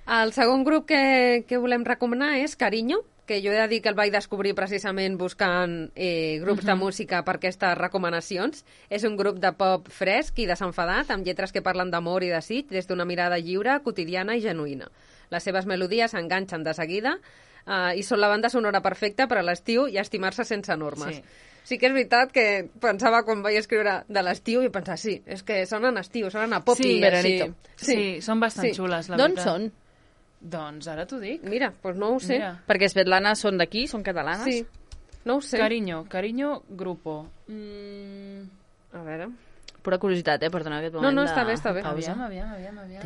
El segon grup que, que volem recomanar és Carinyo, que jo he de dir que el vaig descobrir precisament buscant eh, grups uh-huh. de música per aquestes recomanacions. És un grup de pop fresc i desenfadat, amb lletres que parlen d'amor i desig des d'una mirada lliure, quotidiana i genuïna. Les seves melodies s'enganxen de seguida eh, i són la banda sonora perfecta per a l'estiu i estimar-se sense normes. Sí. Sí que és veritat que pensava quan vaig escriure de l'estiu i pensava, sí, és que sonen estiu, sonen a pop sí, i veranito. Sí, sí, són bastant sí. xules, la D'on veritat. són? Doncs ara t'ho dic. Mira, doncs no ho sé. Mira. Perquè Svetlana són d'aquí, són catalanes? Sí, no ho sé. Carinyo, Carinyo Grupo. Mm... A veure... Pura curiositat, eh, per donar aquest moment no, no, de... està bé, està bé. Aviam, aviam, aviam, aviam.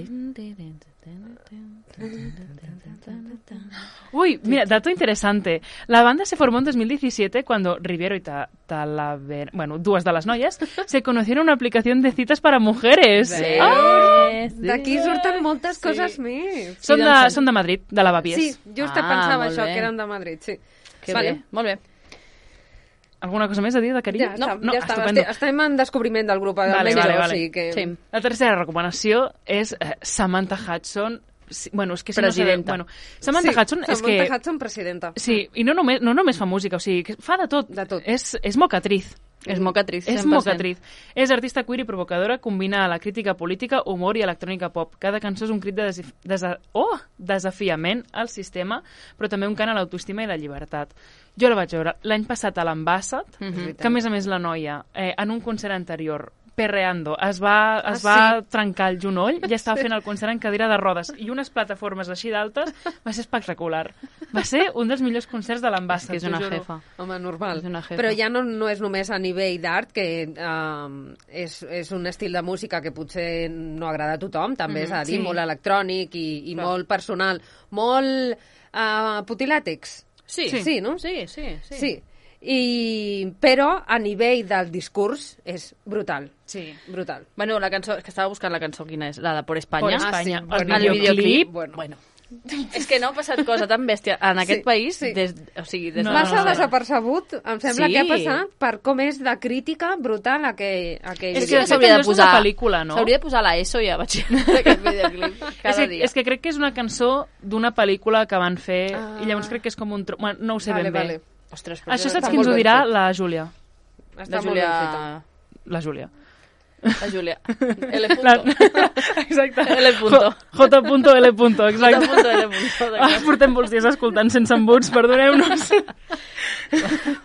Uy, mira, dato interesante. La banda se formó en dos mil diecisiete cuando Riviero y Ta Talavera, bueno, dues de les noies, se conocieron una aplicación de citas para mujeres. Ah, d'aquí surten moltes sí. coses més. Són de, són de Madrid, de l'Avapiés. Sí, just ah, pensava això, bé. que eren de Madrid, sí. Que vale. bé, molt bé. Alguna cosa més a dir de Carinyo? Ja, no, no, ja està, estem en descobriment del grup. Vale, vale, vale. Sí, que... sí. La tercera recomanació és eh, Samantha Hudson. Sí, bueno, és que si presidenta. No sabeu, bueno, Samantha sí, Hudson és que... Samantha Hudson, presidenta. Sí, i no només, no només fa música, o sigui, que fa de tot. De tot. És, és mocatriz. És mocatriz, És mocatriz. És artista queer i provocadora, combina la crítica política, humor i electrònica pop. Cada cançó és un crit de desi desa oh, desafiament al sistema, però també un cant a l'autoestima i la llibertat. Jo la vaig veure l'any passat a l'Ambassat, mm-hmm. que a més a més la noia, eh, en un concert anterior, perreando, es va, es ah, va sí? trencar el genoll i estava sí. fent el concert en cadira de rodes i unes plataformes així d'altes. Va ser espectacular. Va ser un dels millors concerts de l'Ambassat. És que és una jefa. Home, normal. És una jefa. Però ja no, no és només a nivell d'art, que um, és, és un estil de música que potser no agrada a tothom, també mm, és a dir, sí. molt electrònic i, i molt personal. Molt... Uh, putilàtex. Sí. Sí, no? Sí, sí, sí. Sí. I, però a nivell del discurs és brutal. Sí. Brutal. Bueno, la cançó, és que estava buscant la cançó, quina és? La de Por España. Por España. Ah, sí. Bueno, el videoclip. Bueno. bueno. És que no ha passat cosa tan bèstia en aquest Sí, país sí. des, o sigui, des No, de... Passa no, no. desapercebut, em sembla Sí. que ha passat per com és de crítica brutal aquell, aquell És que que de fet s'hauria de allò és una posar... pel·lícula, no? S'hauria de posar la ESO i a batxillerat aquest videoclip cada És que, dia. és que crec que és una cançó d'una pel·lícula que van fer Ah. i llavors crec que és com un... Tro... Bueno, no ho sé vale, ben bé. vale. Ostres, però Això està saps està qui ens molt ho ben dirà? fet. La Júlia. Està La molt Júlia... ben feta. La Júlia. La Júlia. L. La... Punto. Exacte. L. Punto. J. Punto L. Punto, exacte. Punto, L. Punto, Ah, d'acord. portem molts dies escoltant sense embuts, perdoneu-nos.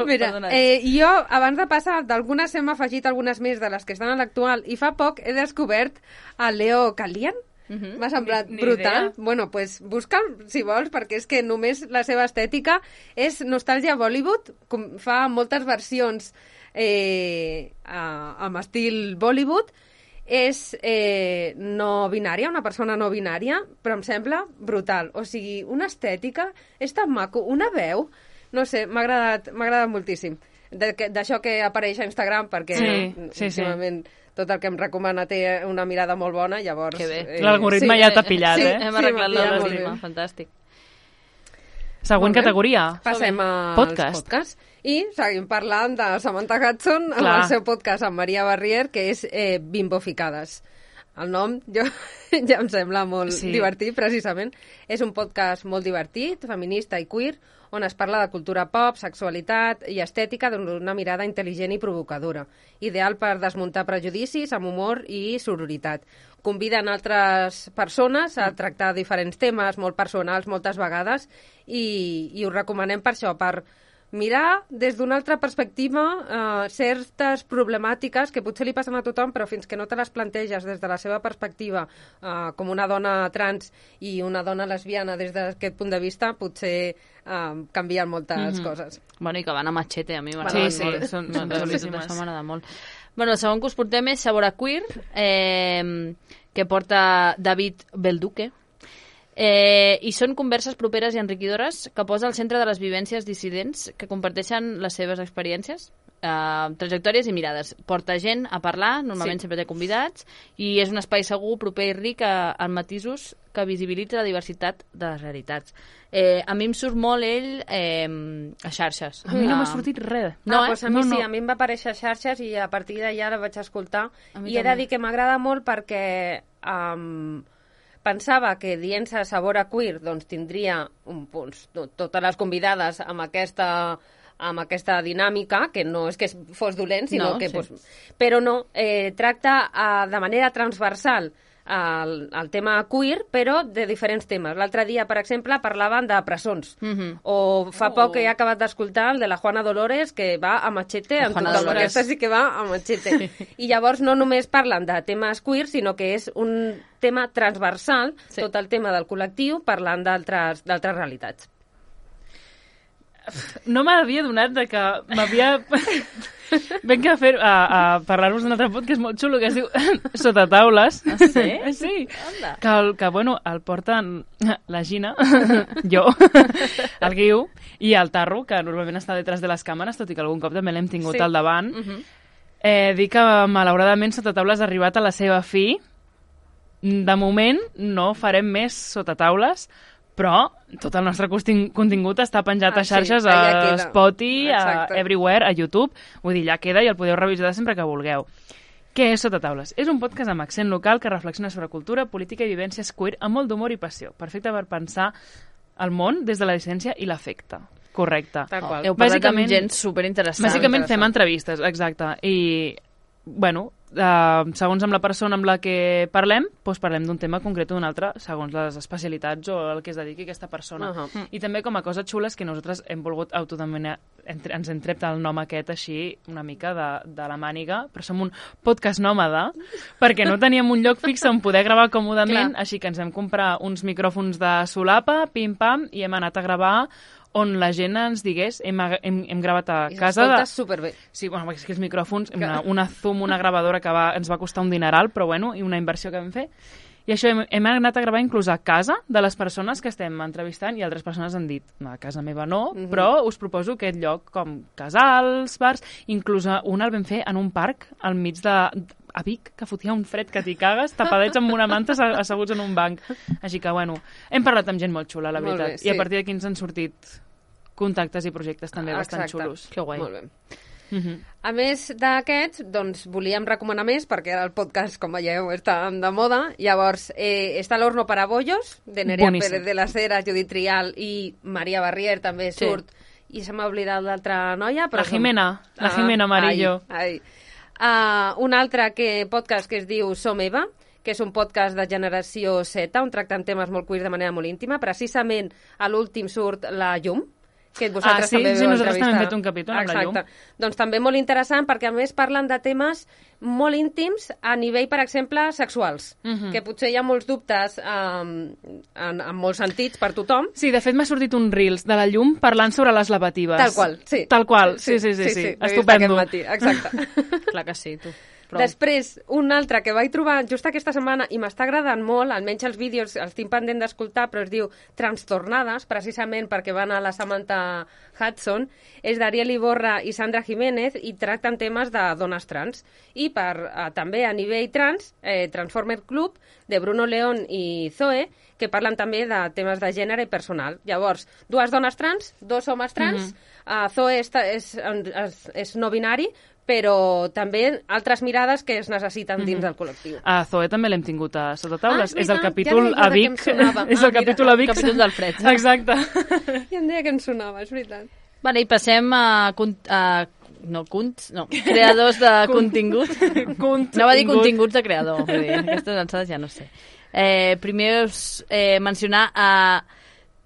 Mira, Perdona. eh, jo, abans de passar, d'algunes hem afegit algunes més de les que estan a l'actual, i fa poc he descobert el Leo Calian. Mhm. M'ha semblat Ni- ni brutal. idea. Bueno, pues busca'l, si vols, perquè és que només la seva estètica és nostàlgia Bollywood, com fa moltes versions eh, a, amb estil Bollywood, és eh, no binària, una persona no binària, però em sembla brutal. O sigui, una estètica, és tan maco, una veu, no sé, m'ha agradat, m'ha agradat moltíssim. De- que- D'això que apareix a Instagram, perquè Sí, sí, sí. últimament tot el que em recomana té una mirada molt bona, llavors... Que bé. L'algoritme ja t'ha pillat, sí, eh? Hem sí, arreglat m'ha pillat molt l'algoritme, bé. fantàstic. Següent Molt bé. categoria. Passem als Podcast. podcasts. I seguim parlant de Samantha Hudson amb Clar. el seu podcast amb Maria Barrier, que és eh, Bimboficades. El nom jo, ja em sembla molt Sí. divertit, precisament. És un podcast molt divertit, feminista i queer, on es parla de cultura pop, sexualitat i estètica d'una mirada intel·ligent i provocadora. Ideal per desmuntar prejudicis amb humor i sororitat. Conviden altres persones a tractar diferents temes molt personals moltes vegades i, i ho recomanem per això, per mirar des d'una altra perspectiva eh, certes problemàtiques que potser li passen a tothom, però fins que no te les planteges des de la seva perspectiva eh, com una dona trans i una dona lesbiana des d'aquest punt de vista, potser eh, canvien moltes Mhm. coses. Bueno, i que van a machete, a mi Sí, m'agrada sí, molt. són- M'agrada són molt, xulíssimes. Això m'agrada molt. Bueno, el segon que us portem és Sabor a Queer, eh, que porta David Belduque. Eh, I són converses properes i enriquidores que posa al centre de les vivències dissidents que comparteixen les seves experiències, eh, trajectòries i mirades. Porta gent a parlar, normalment Sí. sempre té convidats, i és un espai segur, proper i ric a, en matisos que visibilitza la diversitat de les realitats. Eh, a mi em surt molt ell eh, a xarxes. A mi no m'ha Ah, sortit res. No, No, ah, eh? doncs a mi No, sí, no. a mi em va aparèixer a xarxes i a partir d'allà la vaig escoltar. A mi I he de també. dir que m'agrada molt perquè um, pensava que dient-se Sabor a Queer doncs, tindria un, doncs, to- totes les convidades amb aquesta amb aquesta dinàmica, que no és que fos dolent, sinó No, que... sí. Doncs, però no, eh, tracta eh, de manera transversal el, el tema queer, però de diferents temes. L'altre dia, per exemple, parlaven de presons. Mhm. O fa Oh. poc que he acabat d'escoltar el de la Juana Dolores, que va a machete La amb Juana tothom. Dolores. Aquesta sí que va a machete. I llavors no només parlen de temes queer, sinó que és un tema transversal, Sí. tot el tema del col·lectiu, parlant d'altres d'altres realitats. No m'havia donat de que m'havia... Venc a, fer, a, a parlar-vos d'un altre podcast molt xulo que es diu Sota taules. Ah, sí? Sí. Anda. Que, el, que, bueno, el porten la Gina, jo, el Guiu, i el Tarro, que normalment està detrás de les càmeres, tot i que algun cop també l'hem tingut Sí. al davant. Mhm. Eh, dir que, malauradament, Sota taules ha arribat a la seva fi. De moment, no farem més Sota taules, però tot el nostre contin- contingut està penjat Ah, a xarxes, sí, allà a queda. Spotify, a Exacte. Everywhere, a YouTube. Vull dir, ja queda i el podeu revisar sempre que vulgueu. Què és Sota taules? És un podcast amb accent local que reflexiona sobre cultura, política i vivències queer amb molt d'humor i passió. Perfecte per pensar el món des de la dissidència i l'afecte. Correcte. Tal qual. Heu parlat Bàsicament- amb gent superinteressant. Bàsicament interessant. fem entrevistes, exacte. I, bueno, uh, segons amb la persona amb la que parlem, doncs parlem d'un tema concret o d'un altre, segons les especialitats o el que es dediqui aquesta persona. Uh -huh. I també com a cosa xula és que nosaltres hem volgut autodenominar, entre, ens hem tret el nom aquest així una mica de, de la màniga, però som un podcast nòmada, perquè no teníem un lloc fix on poder gravar còmodament, Clar. així que ens vam comprar uns micròfons de solapa, pim-pam, i hem anat a gravar on la gent ens digués, hem, hem, hem gravat a I casa... de- s'escolta superbé. Sí, bueno, és que els micròfons, una, una Zoom, una gravadora que va, ens va costar un dineral, però bueno, i una inversió que vam fer. I això hem, hem anat a gravar inclús a casa de les persones que estem entrevistant i altres persones han dit, no, a casa meva no, mm -hmm. però us proposo aquest lloc com casals, bars, inclús un el vam fer en un parc al mig de... a Vic, que fotia un fred que t'hi cagues, tapadets amb una manta asseguts en un banc. Així que, bueno, hem parlat amb gent molt xula, la veritat. Bé, sí. I a partir d'aquí ens han sortit contactes i projectes també Exacte. bastant xulos. Que guai. Molt bé. Uh -huh. A més d'aquests, doncs, volíem recomanar més, perquè el podcast, com veieu, està de moda. Llavors, eh, està l'Horno para Bollos, de Nerea Boníssim. Pérez de las Heras, Judit Trial i Maria Barrier també sí. surt. I se m'ha oblidat l'altra noia. Però la Jimena, som... la Jimena ah, Amarillo. Ai, ai. Uh, un altre que, podcast que es diu Som Eva, que és un podcast de generació Z, on tracten temes molt queers de manera molt íntima. Precisament a l'últim surt la Llum, que vosaltres ah, sí? també sí, nosaltres entrevistar. també hem fet un capítol amb la Llum. Doncs també molt interessant, perquè a més parlen de temes molt íntims a nivell, per exemple, sexuals, uh -huh. que potser hi ha molts dubtes um, en, en molts sentits per tothom. Sí, de fet m'ha sortit un Reels de la Llum parlant sobre les lavatives. Tal qual, sí. Tal qual, sí, sí, sí, sí, sí. sí. Estupendo. Matí. Exacte. Clar que sí, tu. Prou. Després, un altre que vaig trobar just aquesta setmana i m'està agradant molt, almenys els vídeos els tinc pendent d'escoltar, però es diu Trastornades, precisament perquè van a la Samantha Hudson, és d'Ariel Iborra i Sandra Jiménez i tracten temes de dones trans. I per, eh, també a nivell trans, eh, Transformer Club, de Bruno León i Zoe, que parlen també de temes de gènere i personal. Llavors, dues dones trans, dos homes trans, mm-hmm. uh, Zoe és, és, és, és no binari, però també altres mirades que es necessiten dins del col·lectiu. A Zoe també l'hem tingut a sota taules. Ah, és el capítol ja a Vic. És el capítol a Vic. El capítol del fred. Exacte. Ja em deia que em sonava, és veritat. Vale, i passem a... a no, cunts, no, creadors de contingut. No va dir continguts de creador. Vull dir, aquestes alçades ja no sé. Eh, primer us eh, mencionar a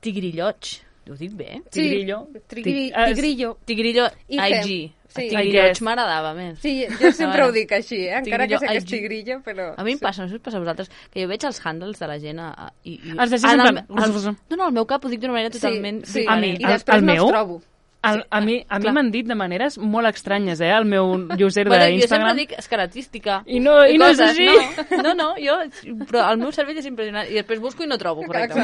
Tigrilloig. Ho dic bé? Sí, Tigrillo. Tigri, tigrillo. Tigrillo I G. Sí. Tigrilloig m'agradava més. Sí, jo sempre ho dic així, eh? encara que sé que és tigrillo, però... A mi em passa, no sé si us passa a vosaltres, que jo veig els handles de la gent a, a, i, i... Els deixes en plan... No, no, al meu cap ho dic d'una manera totalment... Sí, sí. A mi, i després el no meu? els trobo. El, a mi, a mi m'han dit de maneres molt estranyes, eh, el meu user bueno, d'Instagram. Jo sempre dic escaratística. I no, i no és així. No, no, no, jo... Però el meu cervell és impressionant. I després busco i no trobo, correcte.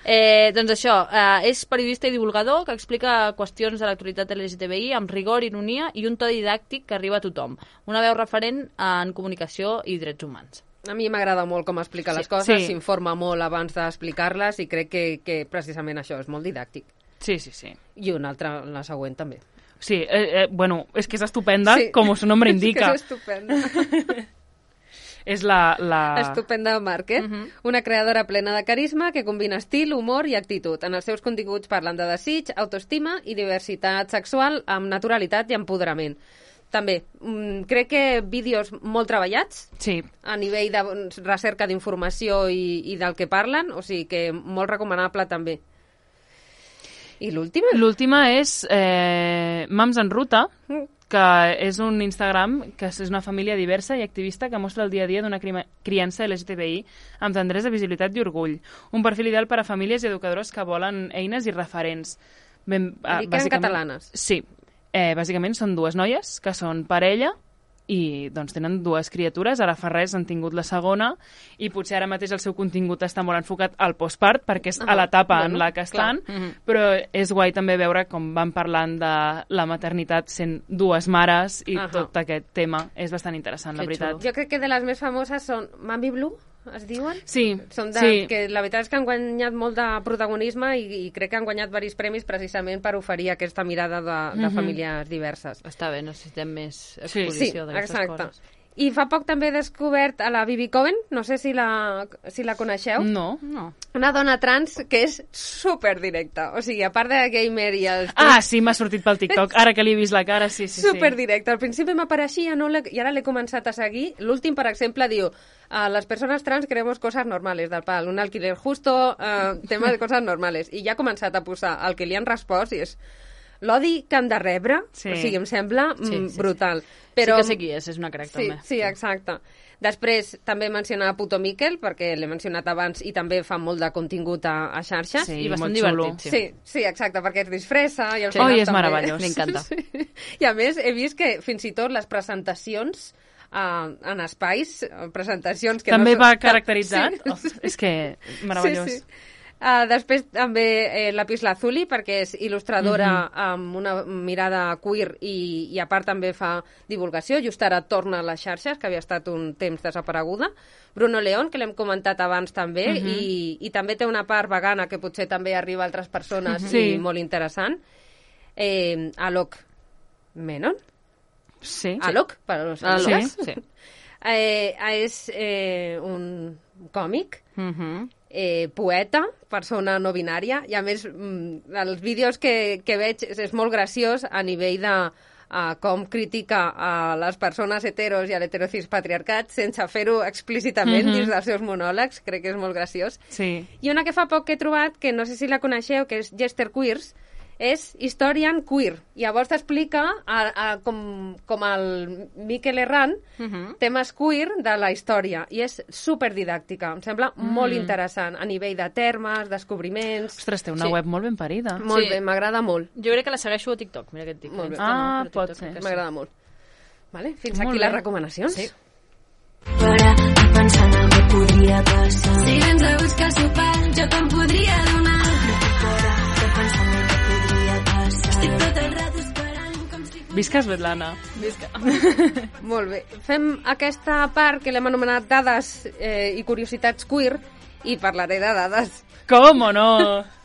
Eh, doncs això, eh, és periodista i divulgador que explica qüestions de l'actualitat L G T B I amb rigor, ironia i un to didàctic que arriba a tothom. Una veu referent en comunicació i drets humans. A mi m'agrada molt com explica sí, les coses, sí. s'informa molt abans d'explicar-les i crec que, que precisament això és molt didàctic. Sí, sí, sí. I una altra, la següent també. Sí, eh, eh, bueno, és que és estupenda, sí. com su nombre indica. És que és estupenda. És la... la... Estupenda Márquez, uh -huh. una creadora plena de carisma que combina estil, humor i actitud. En els seus continguts parlen de desig, autoestima i diversitat sexual amb naturalitat i empoderament. També, mm, crec que vídeos molt treballats sí. a nivell de recerca d'informació i, i del que parlen, o sigui que molt recomanable també. I l'última? L'última és eh, Mams en Ruta, que és un Instagram que és una família diversa i activista que mostra el dia a dia d'una criança L G T B I amb tendresa, visibilitat i orgull. Un perfil ideal per a famílies i educadores que volen eines i referents. Ben, eh, I que eren catalanes. Sí. Eh, bàsicament són dues noies que són parella i doncs tenen dues criatures, ara fa res han tingut la segona i potser ara mateix el seu contingut està molt enfocat al postpart perquè és ah, a l'etapa bueno, en la que estan, uh -huh. però és guai també veure com van parlant de la maternitat sent dues mares i uh -huh. tot aquest tema és bastant interessant, que la veritat. Xulo. Jo crec que de les més famoses són Mami Blue, es diuen? Sí, Són de, sí. Que la veritat és que han guanyat molt de protagonisme i, i crec que han guanyat diversos premis precisament per oferir aquesta mirada de, de mm -hmm. famílies diverses. Està bé, necessitem més exposició sí, d'aquestes exacte. coses. I fa poc també he descobert a la Bibi Cohen, no sé si la, si la coneixeu. No. no. Una dona trans que és super directa. O sigui, a part de gamer i els... Ah, sí, m'ha sortit pel TikTok. Ara que li he vist la cara, sí, sí, sí. Super directa. Al principi m'apareixia no i ara l'he començat a seguir. L'últim, per exemple, diu a les persones trans queremos cosas normales, del pal, un alquiler justo, uh, tema de coses normales. I ja ha començat a posar el que li han respost i és l'odi que han de rebre, sí. O sigui, em sembla sí, sí, brutal. Sí. Però... Sí que sé qui és, és una crack, sí, també. Sí, exacte. Després també mencionar Puto Miquel, perquè l'he mencionat abans i també fa molt de contingut a, a xarxes. Sí, i bastant divertit. Sí. sí, sí, exacte, perquè es disfressa. I el sí. Oh, i és meravellós. M'encanta. Sí. I a més, he vist que fins i tot les presentacions uh, en espais, presentacions... que també no va caracteritzat? Sí. Oh, és que meravellós. Sí, sí. Uh, després també eh, Lapis Lazuli, perquè és il·lustradora mm-hmm. amb una mirada queer i, i a part també fa divulgació. Just ara torna a les xarxes, que havia estat un temps desapareguda. Bruno León, que l'hem comentat abans també, mm-hmm. i, i també té una part vegana que potser també arriba a altres persones mm-hmm. i sí. molt interessant. Eh, Alok Menon? Sí. Alok, per als sí. sí. Eh, és eh, un còmic, mm-hmm. eh, poeta, persona no binària, i a més mm, els vídeos que, que veig és, és molt graciós a nivell de uh, com critica a les persones heteros i a l'heterocis patriarcat sense fer-ho explícitament mm-hmm. dins dels seus monòlegs, crec que és molt graciós. Sí. I una que fa poc que he trobat, que no sé si la coneixeu, que és Jester Queers, és Historian Queer. Llavors t'explica a, a, com, com el Miquel Herrán uh-huh. temes queer de la història i és superdidàctica. Em sembla mm. molt interessant a nivell de termes, descobriments... Ostres, té una sí. web molt ben parida. Molt sí. bé, m'agrada molt. Jo crec que la segueixo a TikTok. Mira què et dic. Molt bé. Ah, no, pot TikTok, ser. M'agrada molt. Vale, fins molt aquí bé. les recomanacions. Sí. Fora, pensant el que podria passar. Si vens a buscar sopar, jo te'n podria donar. Fora, pensant el que podria passar. Estic tot el rato esperant com si... Visca Svetlana. Visca. Molt bé. Fem aquesta part que l'hem anomenat dades eh, i curiositats queer i parlaré de dades. Com o no?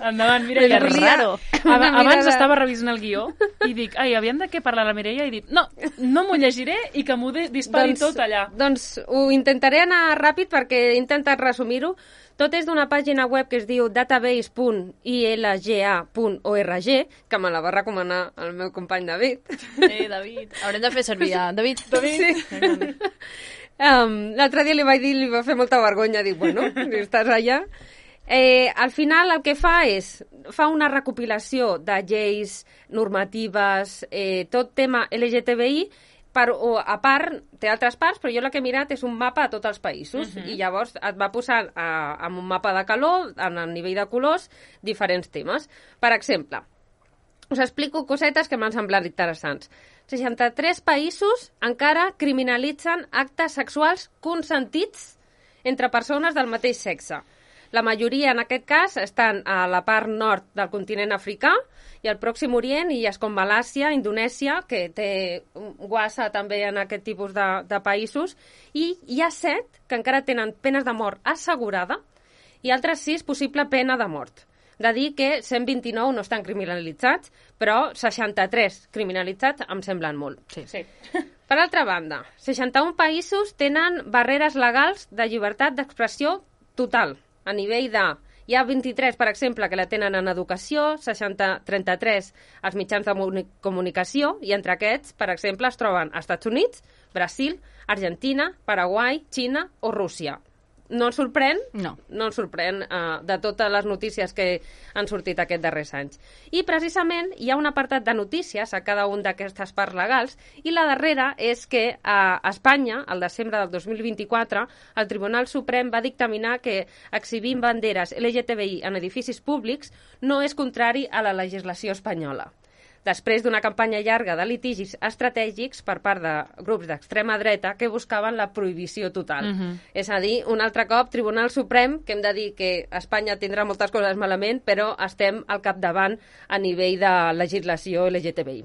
Endavant, Mireia. Que raro. Ab abans mirada... estava revisant el guió i dic, ai, havien de què parlar la Mireia? I dic, no, no m'ho llegiré i que m'ho dispari doncs, tot allà. Doncs ho intentaré anar ràpid perquè he intentat resumir-ho. Tot és d'una pàgina web que es diu database punt ilga punt org, que me la va recomanar el meu company David. Eh, David. Haurem de fer servir a David. David. Sí. Um, L'altre dia li vaig dir, li va fer molta vergonya, dic, bueno, si estàs allà... Eh, al final el que fa és fa una recopilació de lleis, normatives, eh, tot tema L G T B I, per, o, a part, té altres parts, però jo la que he mirat és un mapa a tots els països, uh-huh. i llavors et va posar a, amb un mapa de calor, en el nivell de colors, diferents temes. Per exemple, us explico cosetes que m'han semblat interessants. seixanta-tres països encara criminalitzen actes sexuals consentits entre persones del mateix sexe. La majoria, en aquest cas, estan a la part nord del continent africà i al Pròxim Orient, illes com Malàisia, Indonèsia, que té guassa també en aquest tipus de, de països, i hi ha set que encara tenen penes de mort assegurada i altres sis possible pena de mort. De dir que cent vint-i-nou no estan criminalitzats, però seixanta-tres criminalitzats em semblen molt. Sí. Sí. Per altra banda, seixanta-un països tenen barreres legals de llibertat d'expressió total. A nivell de... Hi ha vint-i-tres, per exemple, que la tenen en educació, seixanta, trenta-tres als mitjans de comunicació, i entre aquests, per exemple, es troben Estats Units, Brasil, Argentina, Paraguai, Xina o Rússia. No ens sorprèn? No. No ens sorprèn uh, de totes les notícies que han sortit aquests darrers anys. I precisament hi ha un apartat de notícies a cada un d'aquestes parts legals i la darrera és que a Espanya, al desembre del dos mil vint-i-quatre, el Tribunal Suprem va dictaminar que exhibint banderes L G T B I en edificis públics no és contrari a la legislació espanyola. Després d'una campanya llarga de litigis estratègics per part de grups d'extrema dreta que buscaven la prohibició total. Uh-huh. És a dir, un altre cop, Tribunal Suprem, que hem de dir que Espanya tindrà moltes coses malament, però estem al capdavant a nivell de legislació L G T B I.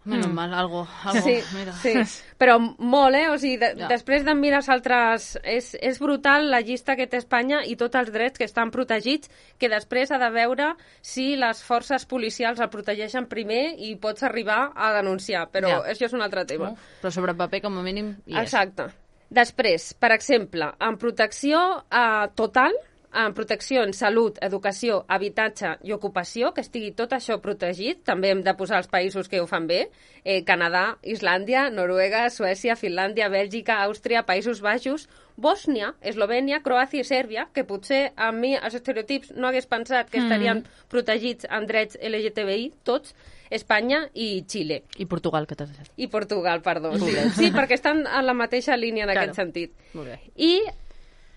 Menos mal, algo, algo sí, mira. Sí, però molt, eh? O sigui, de, ja. després de mirar els altres... És, és brutal la llista que té Espanya i tots els drets que estan protegits, que després ha de veure si les forces policials el protegeixen primer i pots arribar a denunciar, però ja. Això és un altre tema. No? Però sobre paper, com a mínim, hi és. Exacte. Després, per exemple, en protecció eh, total, en protecció en salut, educació, habitatge i ocupació, que estigui tot això protegit. També hem de posar els països que ho fan bé. Eh, Canadà, Islàndia, Noruega, Suècia, Finlàndia, Bèlgica, Àustria, Països Baixos, Bòsnia, Eslovènia, Croàcia i Sèrbia, que potser a mi els estereotips no hagués pensat que estarien mm. protegits en drets L G T B I, tots, Espanya i Xile. I Portugal, que t'has dit. I Portugal, perdó. Sí, sí, perquè estan en la mateixa línia en claro. aquest sentit. Molt bé. I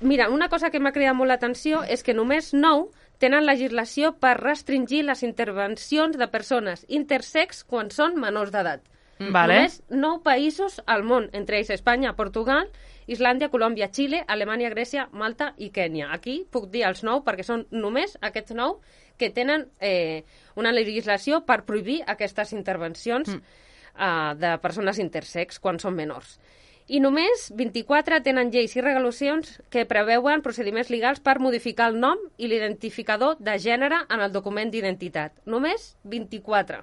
mira, una cosa que m'ha cridat molt l'atenció és que només nou tenen legislació per restringir les intervencions de persones intersex quan són menors d'edat. Vale. Només nou països al món, entre ells Espanya, Portugal, Islàndia, Colòmbia, Xile, Alemanya, Grècia, Malta i Kènia. Aquí puc dir els nou perquè són només aquests nou que tenen eh, una legislació per prohibir aquestes intervencions mm. eh, de persones intersex quan són menors. I només vint-i-quatre tenen lleis i regulacions que preveuen procediments legals per modificar el nom i l'identificador de gènere en el document d'identitat. Només vint-i-quatre,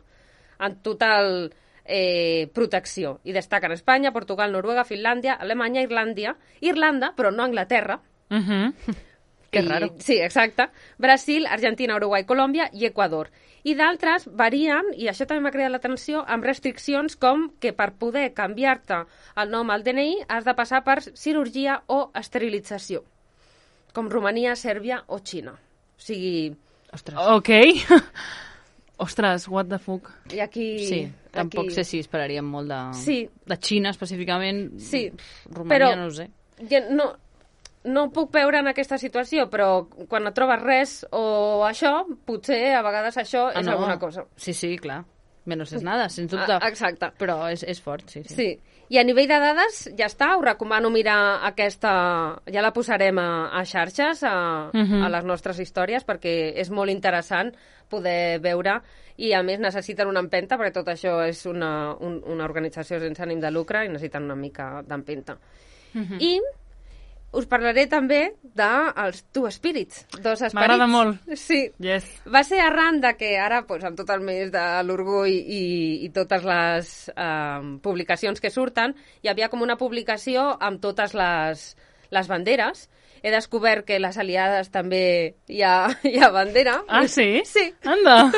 en total eh, protecció. I destaquen Espanya, Portugal, Noruega, Finlàndia, Alemanya, Irlàndia, Irlanda, però no Anglaterra. Uh -huh. Que raro. Sí, exacte. Brasil, Argentina, Uruguai, Colòmbia i Equador. I d'altres varien, i això també m'ha cridat l'atenció, amb restriccions com que per poder canviar-te el nom al D N I has de passar per cirurgia o esterilització, com Romania, Sèrbia o Xina. O sigui... Ostres. Ok. Ostres, what the fuck. I aquí... Sí, tampoc aquí... sé si esperaríem molt de... Sí. De Xina, específicament. Sí, Romania, però no ho sé. Ja no, no ho puc veure en aquesta situació, però quan no trobes res o això, potser a vegades això Ah, és no. alguna cosa. Sí, sí, clar. Menos és nada, sens dubte. Ah, exacte. Però és, és fort, sí, sí. Sí. I a nivell de dades, ja està, us recomano mirar aquesta... Ja la posarem a, a xarxes, a, Mhm. a les nostres històries, perquè és molt interessant poder veure, i a més necessiten una empenta, perquè tot això és una, un, una organització sense ànim de lucre i necessiten una mica d'empenta. Mhm. I us parlaré també dels Two Spirits, dos esperits. M'agrada molt. Sí. Yes. Va ser arran de que ara, pues, amb tot el mes de l'orgull i, i totes les eh, publicacions que surten, hi havia com una publicació amb totes les, les banderes. He descobert que les aliades també hi ha, hi ha bandera. Ah, sí? Sí. Anda.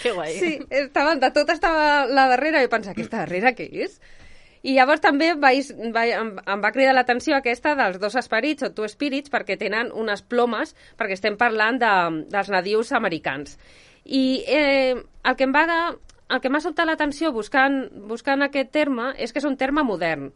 Que guai. Sí, estaven, de tot estava la darrera i pensava, aquesta darrera què és? I llavors també vaig, vaig, em, em va cridar l'atenció aquesta dels dos esperits, o Two Spirits, perquè tenen unes plomes, perquè estem parlant de, dels nadius americans. I eh, el que em va, el que m'ha sobtat l'atenció buscant, buscant aquest terme és que és un terme modern,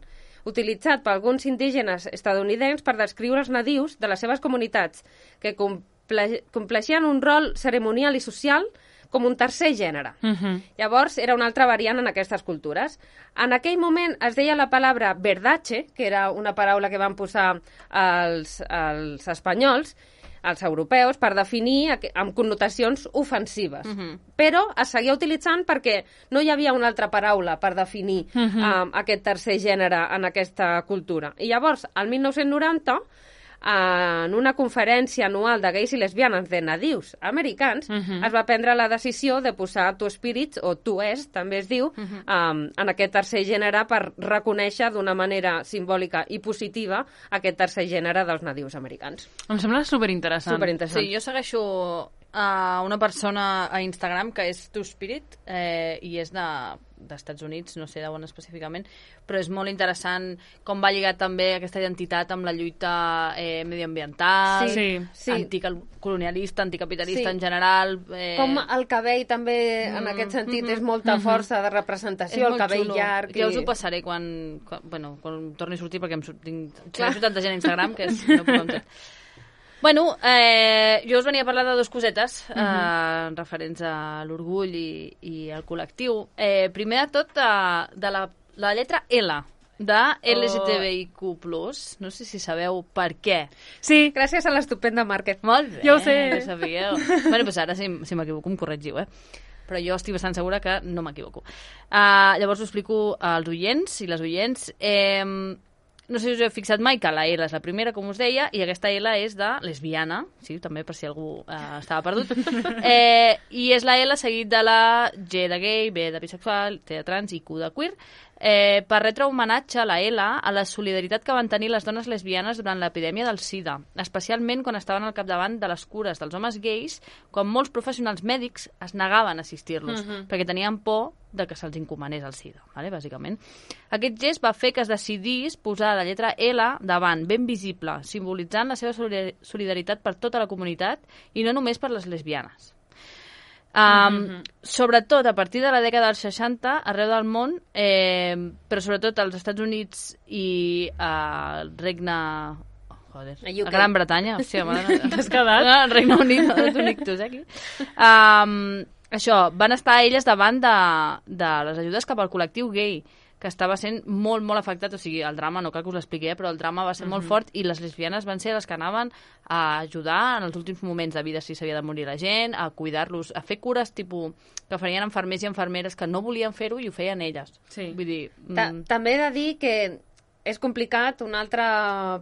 utilitzat per alguns indígenes estadounidencs per descriure els nadius de les seves comunitats, que comple compleixien un rol ceremonial i social com un tercer gènere. Uh -huh. Llavors, era una altra variant en aquestes cultures. En aquell moment es deia la paraula verdache, que era una paraula que van posar els, els espanyols, els europeus, per definir amb connotacions ofensives. Uh -huh. Però es seguia utilitzant perquè no hi havia una altra paraula per definir uh -huh. um, aquest tercer gènere en aquesta cultura. I llavors, al mil nou-cents noranta, en una conferència anual de gais i lesbianes de nadius americans, uh -huh. es va prendre la decisió de posar Two Spirits, o Two Es, també es diu, uh -huh. um, en aquest tercer gènere per reconèixer d'una manera simbòlica i positiva aquest tercer gènere dels nadius americans. Em sembla superinteressant. Superinteressant. Sí, jo segueixo a una persona a Instagram que és Two Spirit eh, i és de d'Estats Units, no sé d'on específicament, però és molt interessant com va lligar també aquesta identitat amb la lluita eh, mediambiental, Sí, sí. anticolonialista, anticapitalista Sí. en general. Eh... Com el cabell també, en Mm, aquest sentit, mm, és molta mm, força de és representació, el molt cabell xulo. llarg. Ja us ho i- passaré quan, quan, bueno, quan torni a sortir, perquè em surt, tinc, Clar. tinc tanta gent a Instagram que és, no puc amb tot. Bueno, eh, jo us venia a parlar de dues cosetes eh, uh-huh. referents a l'orgull i, i al col·lectiu. Eh, primer de tot, eh, de la, la lletra L, de L G T B I Q plus. No sé si sabeu per què. Sí, Gràcies a l'estupenda Market. Molt bé, Ja ho sé. ja sabíeu. Bueno, doncs ara, si, si m'equivoco, em corregiu, eh? Però jo estic bastant segura que no m'equivoco. Uh, llavors ho explico als oients i les oients. Eh, no sé si us heu fixat mai que la L és la primera, com us deia, i aquesta L és de lesbiana, sí, també per si algú eh, estava perdut, eh, i és la L seguit de la G de gay, B de bisexual, T de trans i Q de queer, eh, per retre homenatge a la L a la solidaritat que van tenir les dones lesbianes durant l'epidèmia del SIDA, especialment quan estaven al capdavant de les cures dels homes gais, quan molts professionals mèdics es negaven a assistir-los, uh-huh. perquè tenien por de que se'ls encomanés el SIDA, vale? Bàsicament. Aquest gest va fer que es decidís posar la lletra L davant, ben visible, simbolitzant la seva solidaritat per tota la comunitat i no només per les lesbianes. Um, mm-hmm. Sobretot a partir de la dècada dels seixanta, arreu del món, eh, però sobretot als Estats Units i al Regne... Oh, joder, A U K. a Gran Bretanya. Hòstia, mare, t'has quedat? No, al Regne Unit, no, t'ho dic tu, eh, aquí. Um, això, van estar elles davant de, de les ajudes cap al col·lectiu gay, que estava sent molt, molt afectat, o sigui, el drama, no cal que us l'expliqui, eh, però el drama va ser mm-hmm. molt fort i les lesbianes van ser les que anaven a ajudar en els últims moments de vida si s'havia de morir la gent, a cuidar-los, a fer cures tipus que farien infermers i infermeres que no volien fer-ho i ho feien elles. Sí. Vull dir... Ta Mm... També he de dir que és complicat una altra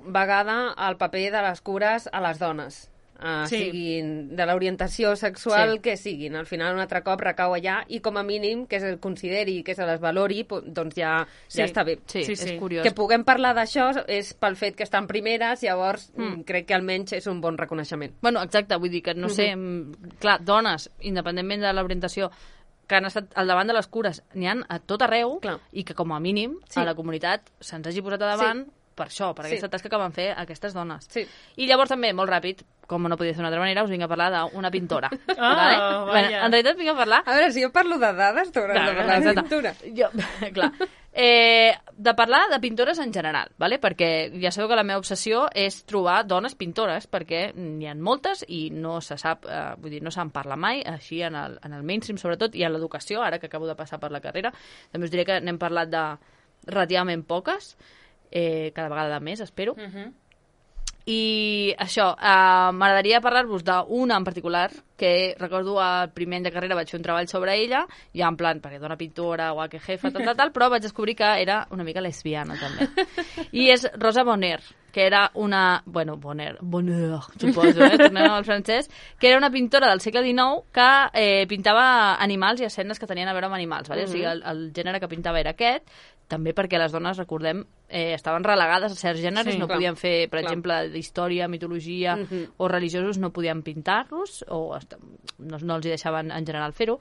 vegada el paper de les cures a les dones. Uh, Sí. siguin de l'orientació sexual Sí. que siguin. Al final un altre cop recau allà i com a mínim que se'l consideri i que se les valori, po- doncs ja, Sí. ja està bé. Sí, Sí, és sí. curiós. Que puguem parlar d'això és pel fet que estan primeres, llavors mm. crec que almenys és un bon reconeixement. Bueno, exacte, vull dir que, no sé, mm, clar, dones, independentment de l'orientació, que han estat al davant de les cures, n'hi han a tot arreu, Clar. i que com a mínim Sí. a la comunitat se'ns hagi posat a davant per això, per Sí. aquesta tasca que van fer aquestes dones. Sí. I llavors també, molt ràpid, com no podia ser d'una altra manera, us vinc a parlar d'una pintora. Ah, vale? vaja. Bueno, en realitat vinc a parlar... A veure, si jo parlo de dades, tu hauràs Clar, de parlar de exacte. pintura. Jo, clar. Eh, de parlar de pintores en general, vale? Perquè ja sabeu que la meva obsessió és trobar dones pintores, perquè n'hi ha moltes i no se sap, eh, vull dir, no se'n parla mai, així en el, en el mainstream sobretot, i en l'educació, ara que acabo de passar per la carrera, també us diré que n'hem parlat de relativament poques, eh, cada vegada de més, espero. Uh -huh. I això, eh, m'agradaria parlar-vos d'una en particular, que recordo al primer any de carrera vaig fer un treball sobre ella, ja en plan, perquè dona pintora, guaque jefa, tal, tal, tal, però vaig descobrir que era una mica lesbiana, també. I és Rosa Bonheur, que era una... Bueno, Bonheur, Bonheur, suposo, eh? Tornem al francès, que era una pintora del segle dinou que eh, pintava animals i escenes que tenien a veure amb animals, vale? Mm-hmm. O sigui, el, el gènere que pintava era aquest, també perquè les dones, recordem, eh, estaven relegades a certs gèneres, Sí, no clar, podien fer, per clar. exemple, d'història, mitologia Mhm. o religiosos, no podien pintar-los, o est- no, no els hi deixaven en general fer-ho.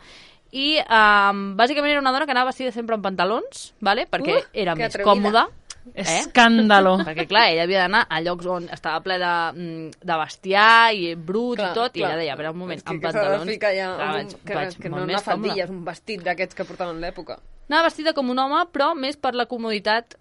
I um, bàsicament era una dona que anava vestida sempre en pantalons, vale? perquè Uh, era que més atrevida. còmoda. Eh? Escàndalo. Perquè, clar, ella havia d'anar a llocs on estava ple de, mm, de bestiar i brut Clar, i tot, i clar. ella deia, a veure, un moment, És que, amb que s'ha de pantalons... ficar ja clar, un, vaig, que, vaig que molt no més una faldilla, és còmode. un vestit d'aquests que portaven en l'època. Anava vestida com un home, però més per la comoditat,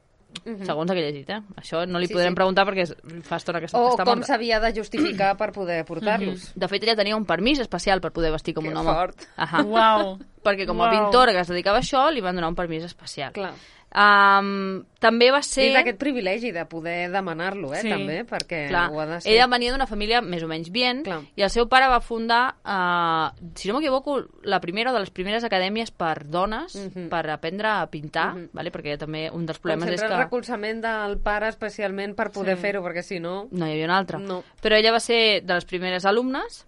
segons el que he llegit, eh? Això no li Sí, podrem sí. preguntar perquè és- fa estona que està, O està com morta. s'havia de justificar per poder portar-los. De fet, ella tenia un permís especial per poder vestir com Que un home. fort. Ahà. Uau. Perquè com a Uau. pintora que es dedicava a això, li van donar un permís especial. Clar. Um, també va ser... I d'aquest privilegi de poder demanar-lo, eh, Sí. també, perquè Clar, ho ha de ser. ella venia d'una família més o menys bien, Clar. i el seu pare va fundar, uh, si no m'equivoco, la primera o de les primeres acadèmies per dones, Mhm. per aprendre a pintar, Mhm. vale? Perquè també un dels Com problemes és sempre que el recolzament del pare especialment per poder Sí. fer-ho, perquè si no... no hi havia una altra. No. Però ella va ser de les primeres alumnes,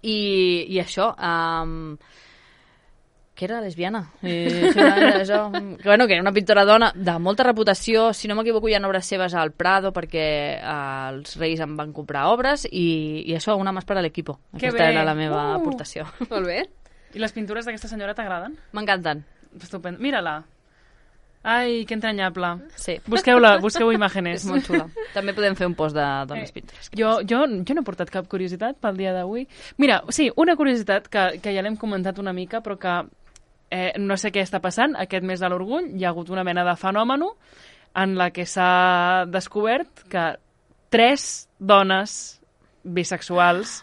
i, i això... Um, que era lesbiana. Eh, era això. Que, bueno, que era una pintora dona de molta reputació. Si no m'equivoco, hi ha obres seves al Prado perquè eh, els Reis en van comprar obres i, i això, una més per a l'equipo. Que Aquesta bé. era la meva Uh. aportació. Molt bé. I les pintures d'aquesta senyora t'agraden? M'encanten. Estupendo. Mira-la. Ai, que entranyable. Sí. Busqueu-la, busqueu imágenes. És molt xula. També podem fer un post de dones Eh, pintores. Jo, jo, jo no he portat cap curiositat pel dia d'avui. Mira, sí, una curiositat que, que ja l'hem comentat una mica, però que eh, no sé què està passant. Aquest mes de l'orgull hi ha hagut una mena de fenòmeno en la que s'ha descobert que tres dones bisexuals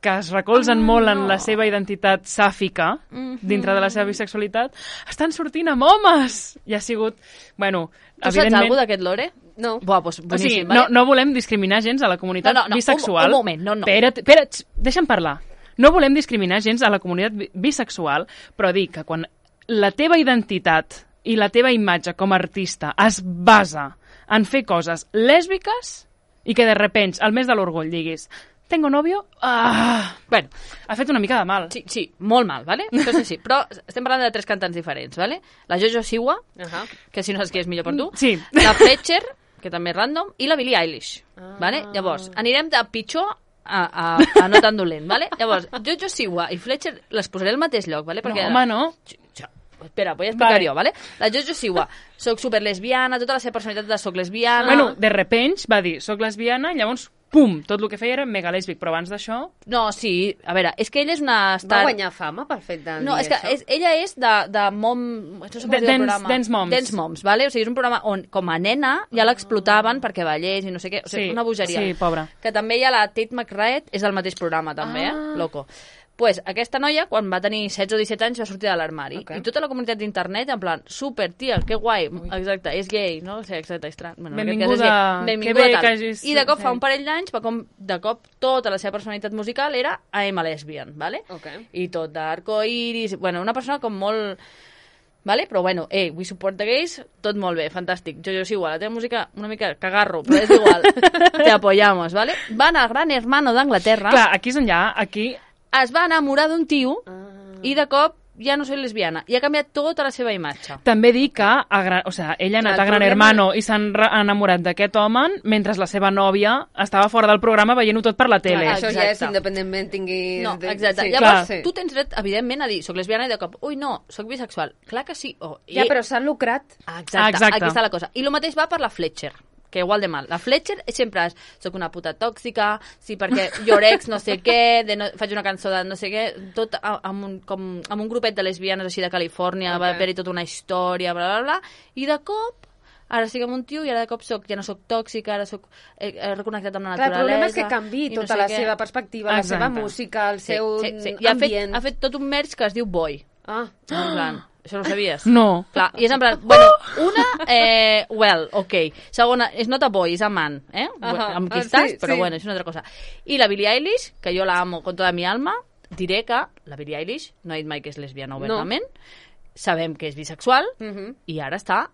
que es recolzen Ah, molt en no. la seva identitat sàfica, Mhm. dintre de la seva bisexualitat, estan sortint amb homes! I ha sigut, bueno, Tu saps alguna d'aquest lore? No. Buah, doncs o boníssim, sigui, vale? no, no volem discriminar gens a la comunitat No, no, no, bisexual. un- un moment, no, no. Espera't, espera't, tx, deixa'm parlar. No volem discriminar gens a la comunitat bi- bisexual, però dic que quan la teva identitat i la teva imatge com a artista es basa en fer coses lèsbiques i que de repente, al mes de l'orgull, diguis tengo novio, ah, Bueno, ha fet una mica de mal. sí, sí, molt mal, ¿vale? Això és així. Però estem parlant de tres cantants diferents, ¿vale? La Jojo Siwa, Ahà. que si no saps qui és millor per tu, Sí. la Fletcher, que també és random, i la Billie Eilish, Ah. ¿vale? Llavors, anirem de pitjor a, a, a no tan dolent, ¿vale? Llavors, Jojo Siwa i Fletcher les posaré al mateix lloc, ¿vale? No, home, no. Sí, sí. Espera, vull explicar Vale. jo, ¿vale? La Jojo Siwa, soc super lesbiana, tota la seva personalitat de soc lesbiana... Bueno, de repente va dir, soc lesbiana, i llavors, pum, tot el que feia era mega lèsbic, però abans d'això... No, sí, a veure, és que ella és una... Va Star... guanyar fama pel fet de No, dir és que això? és, ella és de, de mom... No sé com De- es diu el dance- programa. dance moms. Dance Moms, vale? O sigui, és un programa on, com a nena, ja l'explotaven perquè ballés i no sé què. O sigui, Sí, una bogeria. sí, pobra. Que també hi ha la Tate McRae, és del mateix programa, també, Ah. eh? Loco. pues, aquesta noia, quan va tenir setze o disset anys, va sortir de l'armari. Okay. I tota la comunitat d'internet, en plan, super, tia, que guai, Ui. exacte, és gay, no? O sigui, exacte, estrany. Bueno, benvinguda, benvinguda que bé tal. que hagis... I de cop, fa un parell d'anys, va com, de cop, tota la seva personalitat musical era I'm a lesbian, ¿vale? Okay. I tot d'arcoiris, bueno, una persona com molt... Vale? Però bueno, eh, we support the gays, tot molt bé, fantàstic. Jo, jo és igual, la teva música una mica cagarro, però és igual. Te apoyamos, ¿vale? Va anar al Gran Hermano d'Anglaterra. Clar, aquí és on hi ha, aquí... Es va enamorar d'un tio Ah. i de cop ja no soy lesbiana. I ha canviat tota la seva imatge. També dic que a gran, o sea, ella ha anat El a Gran problema- Hermano i s'han re- enamorat d'aquest home mentre la seva nòvia estava fora del programa veient-ho tot per la tele. Clar, això ja és Exacte. independentment tinguis... No, de- exacte. Sí. Llavors, Clar. tu tens dret, evidentment, a dir soc lesbiana i de cop, ui, no, soc bisexual. Clar que sí. Oh, Ja, però s'han lucrat. Exacte, Ah, exacte. aquí està la cosa. I el mateix va per la Fletcher, que igual de mal. La Fletcher sempre és, soc una puta tòxica, sí, perquè your ex no sé què, de no, faig una cançó de no sé què, tot a- amb un, com, amb un grupet de lesbianes així de Califòrnia, Ok. va haver-hi tota una història, bla, bla, bla, i de cop, ara estic amb un tio i ara de cop soc, ja no soc tòxica, ara soc, he, he reconnectat amb la Clar, el naturalesa. problema és que canvi i no tota sé la què. seva perspectiva, la Exacte. seva música, el Sí, seu sí, sí. I ha fet, ambient. ha fet tot un merch que es diu Boy. Ah. En plan, això no ho sabies? No. Clar, i és en plan, bueno, una, eh, well, ok. Segona, és not a boy, és a man, eh? Ahà. Amb qui Ah, estàs, sí, però sí. bueno, és una altra cosa. I la Billie Eilish, que jo la amo con toda mi alma, diré que la Billie Eilish no ha dit mai que és lesbiana obertament, sabem que és bisexual, Mhm. i ara està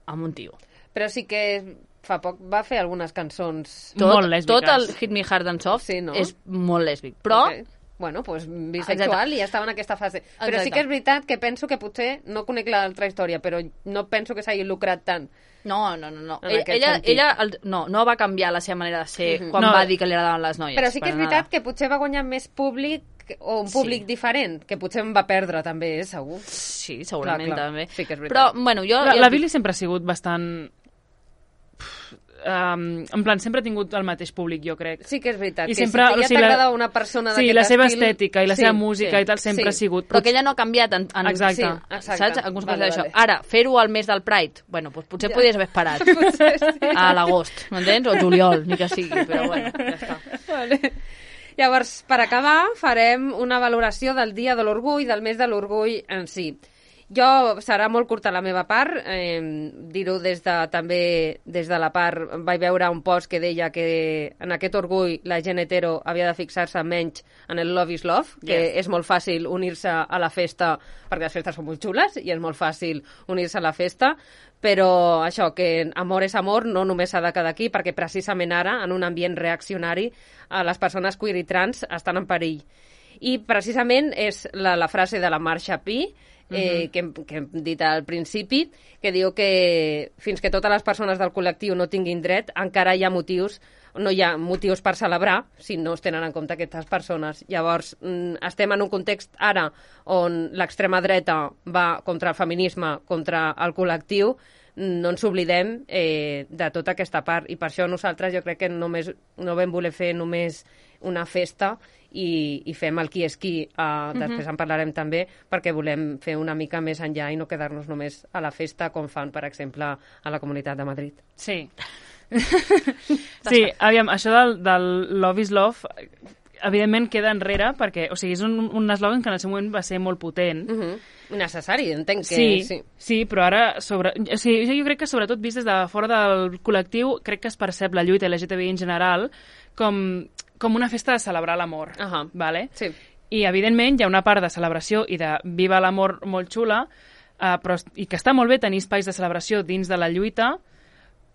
amb un tio. Però sí que fa poc va fer algunes cançons... Tot, Molt lèsbiques. tot el Hit Me Hard and Soft Sí, no? és molt lèsbic, però... Ok. Bueno, pues bisexual Exacte. i ja estava en aquesta fase. Però Exacte. sí que és veritat que penso que potser, no conec l'altra història, però no penso que s'hagi lucrat tant. No, no, no. no. En Ella, aquest ella, sentit. ella el, no, no va canviar la seva manera de ser Mhm. quan No. va dir que li agradaven les noies. Però sí que per és veritat nada. que potser va guanyar més públic o un Sí. públic diferent, que potser em va perdre també, eh, segur. Sí, segurament Clar, clar. també. Sí que és Però, veritat. bueno, jo... La, jo la dic- Billie sempre ha sigut bastant... Um, en plan, sempre ha tingut el mateix públic, jo crec. Sí que és veritat, I que sempre- si o ja sigui, la- t'agrada una persona Sí, d'aquest la seva estil... estètica i la seva música i tal sempre ha sigut... Però que ella no ha canviat en, en, Exacte. Sí, exacte. saps? En conseqüència Vale, d'això. vale. Ara, fer-ho al mes del Pride, bueno, doncs potser podries haver esperat a l'agost, m'entens? O juliol, ni que sigui, però bueno, ja està. Vale. Llavors, per acabar, farem una valoració del Dia de l'Orgull, del mes de l'Orgull en si. Jo, serà molt curta la meva part, eh, dir-ho des de, també des de la part, vaig veure un post que deia que en aquest orgull la gent hetero havia de fixar-se menys en el love is love, que Yes. és molt fàcil unir-se a la festa, perquè les festes són molt xules i és molt fàcil unir-se a la festa, però això, que amor és amor, no només s'ha de quedar aquí, perquè precisament ara, en un ambient reaccionari, a les persones queer i trans estan en perill. I precisament és la, la frase de la Marsha P., eh, uh-huh. que, hem, que hem dit al principi, que diu que fins que totes les persones del col·lectiu no tinguin dret, encara hi ha motius, no hi ha motius per celebrar si no es tenen en compte aquestes persones. Llavors, mm, estem en un context ara on l'extrema dreta va contra el feminisme, contra el col·lectiu, no ens oblidem eh, de tota aquesta part, i per això nosaltres jo crec que només, no vam voler fer només una festa i, i fem el qui és qui, uh, després en parlarem també, perquè volem fer una mica més enllà i no quedar-nos només a la festa com fan, per exemple, a la Comunitat de Madrid. Sí. Sí, aviam, això del, del Love is Love evidentment queda enrere perquè, o sigui, és un, un eslògan que en el seu moment va ser molt potent. Uh -huh. Necessari, entenc que... Sí, sí. sí, però ara, sobre, o sigui, jo, jo crec que sobretot vist des de fora del col·lectiu, crec que es percep la lluita L G T B I en general com, com una festa de celebrar l'amor, Ahà. vale? Sí. I, evidentment, hi ha una part de celebració i de viva l'amor molt xula, eh, però, i que està molt bé tenir espais de celebració dins de la lluita,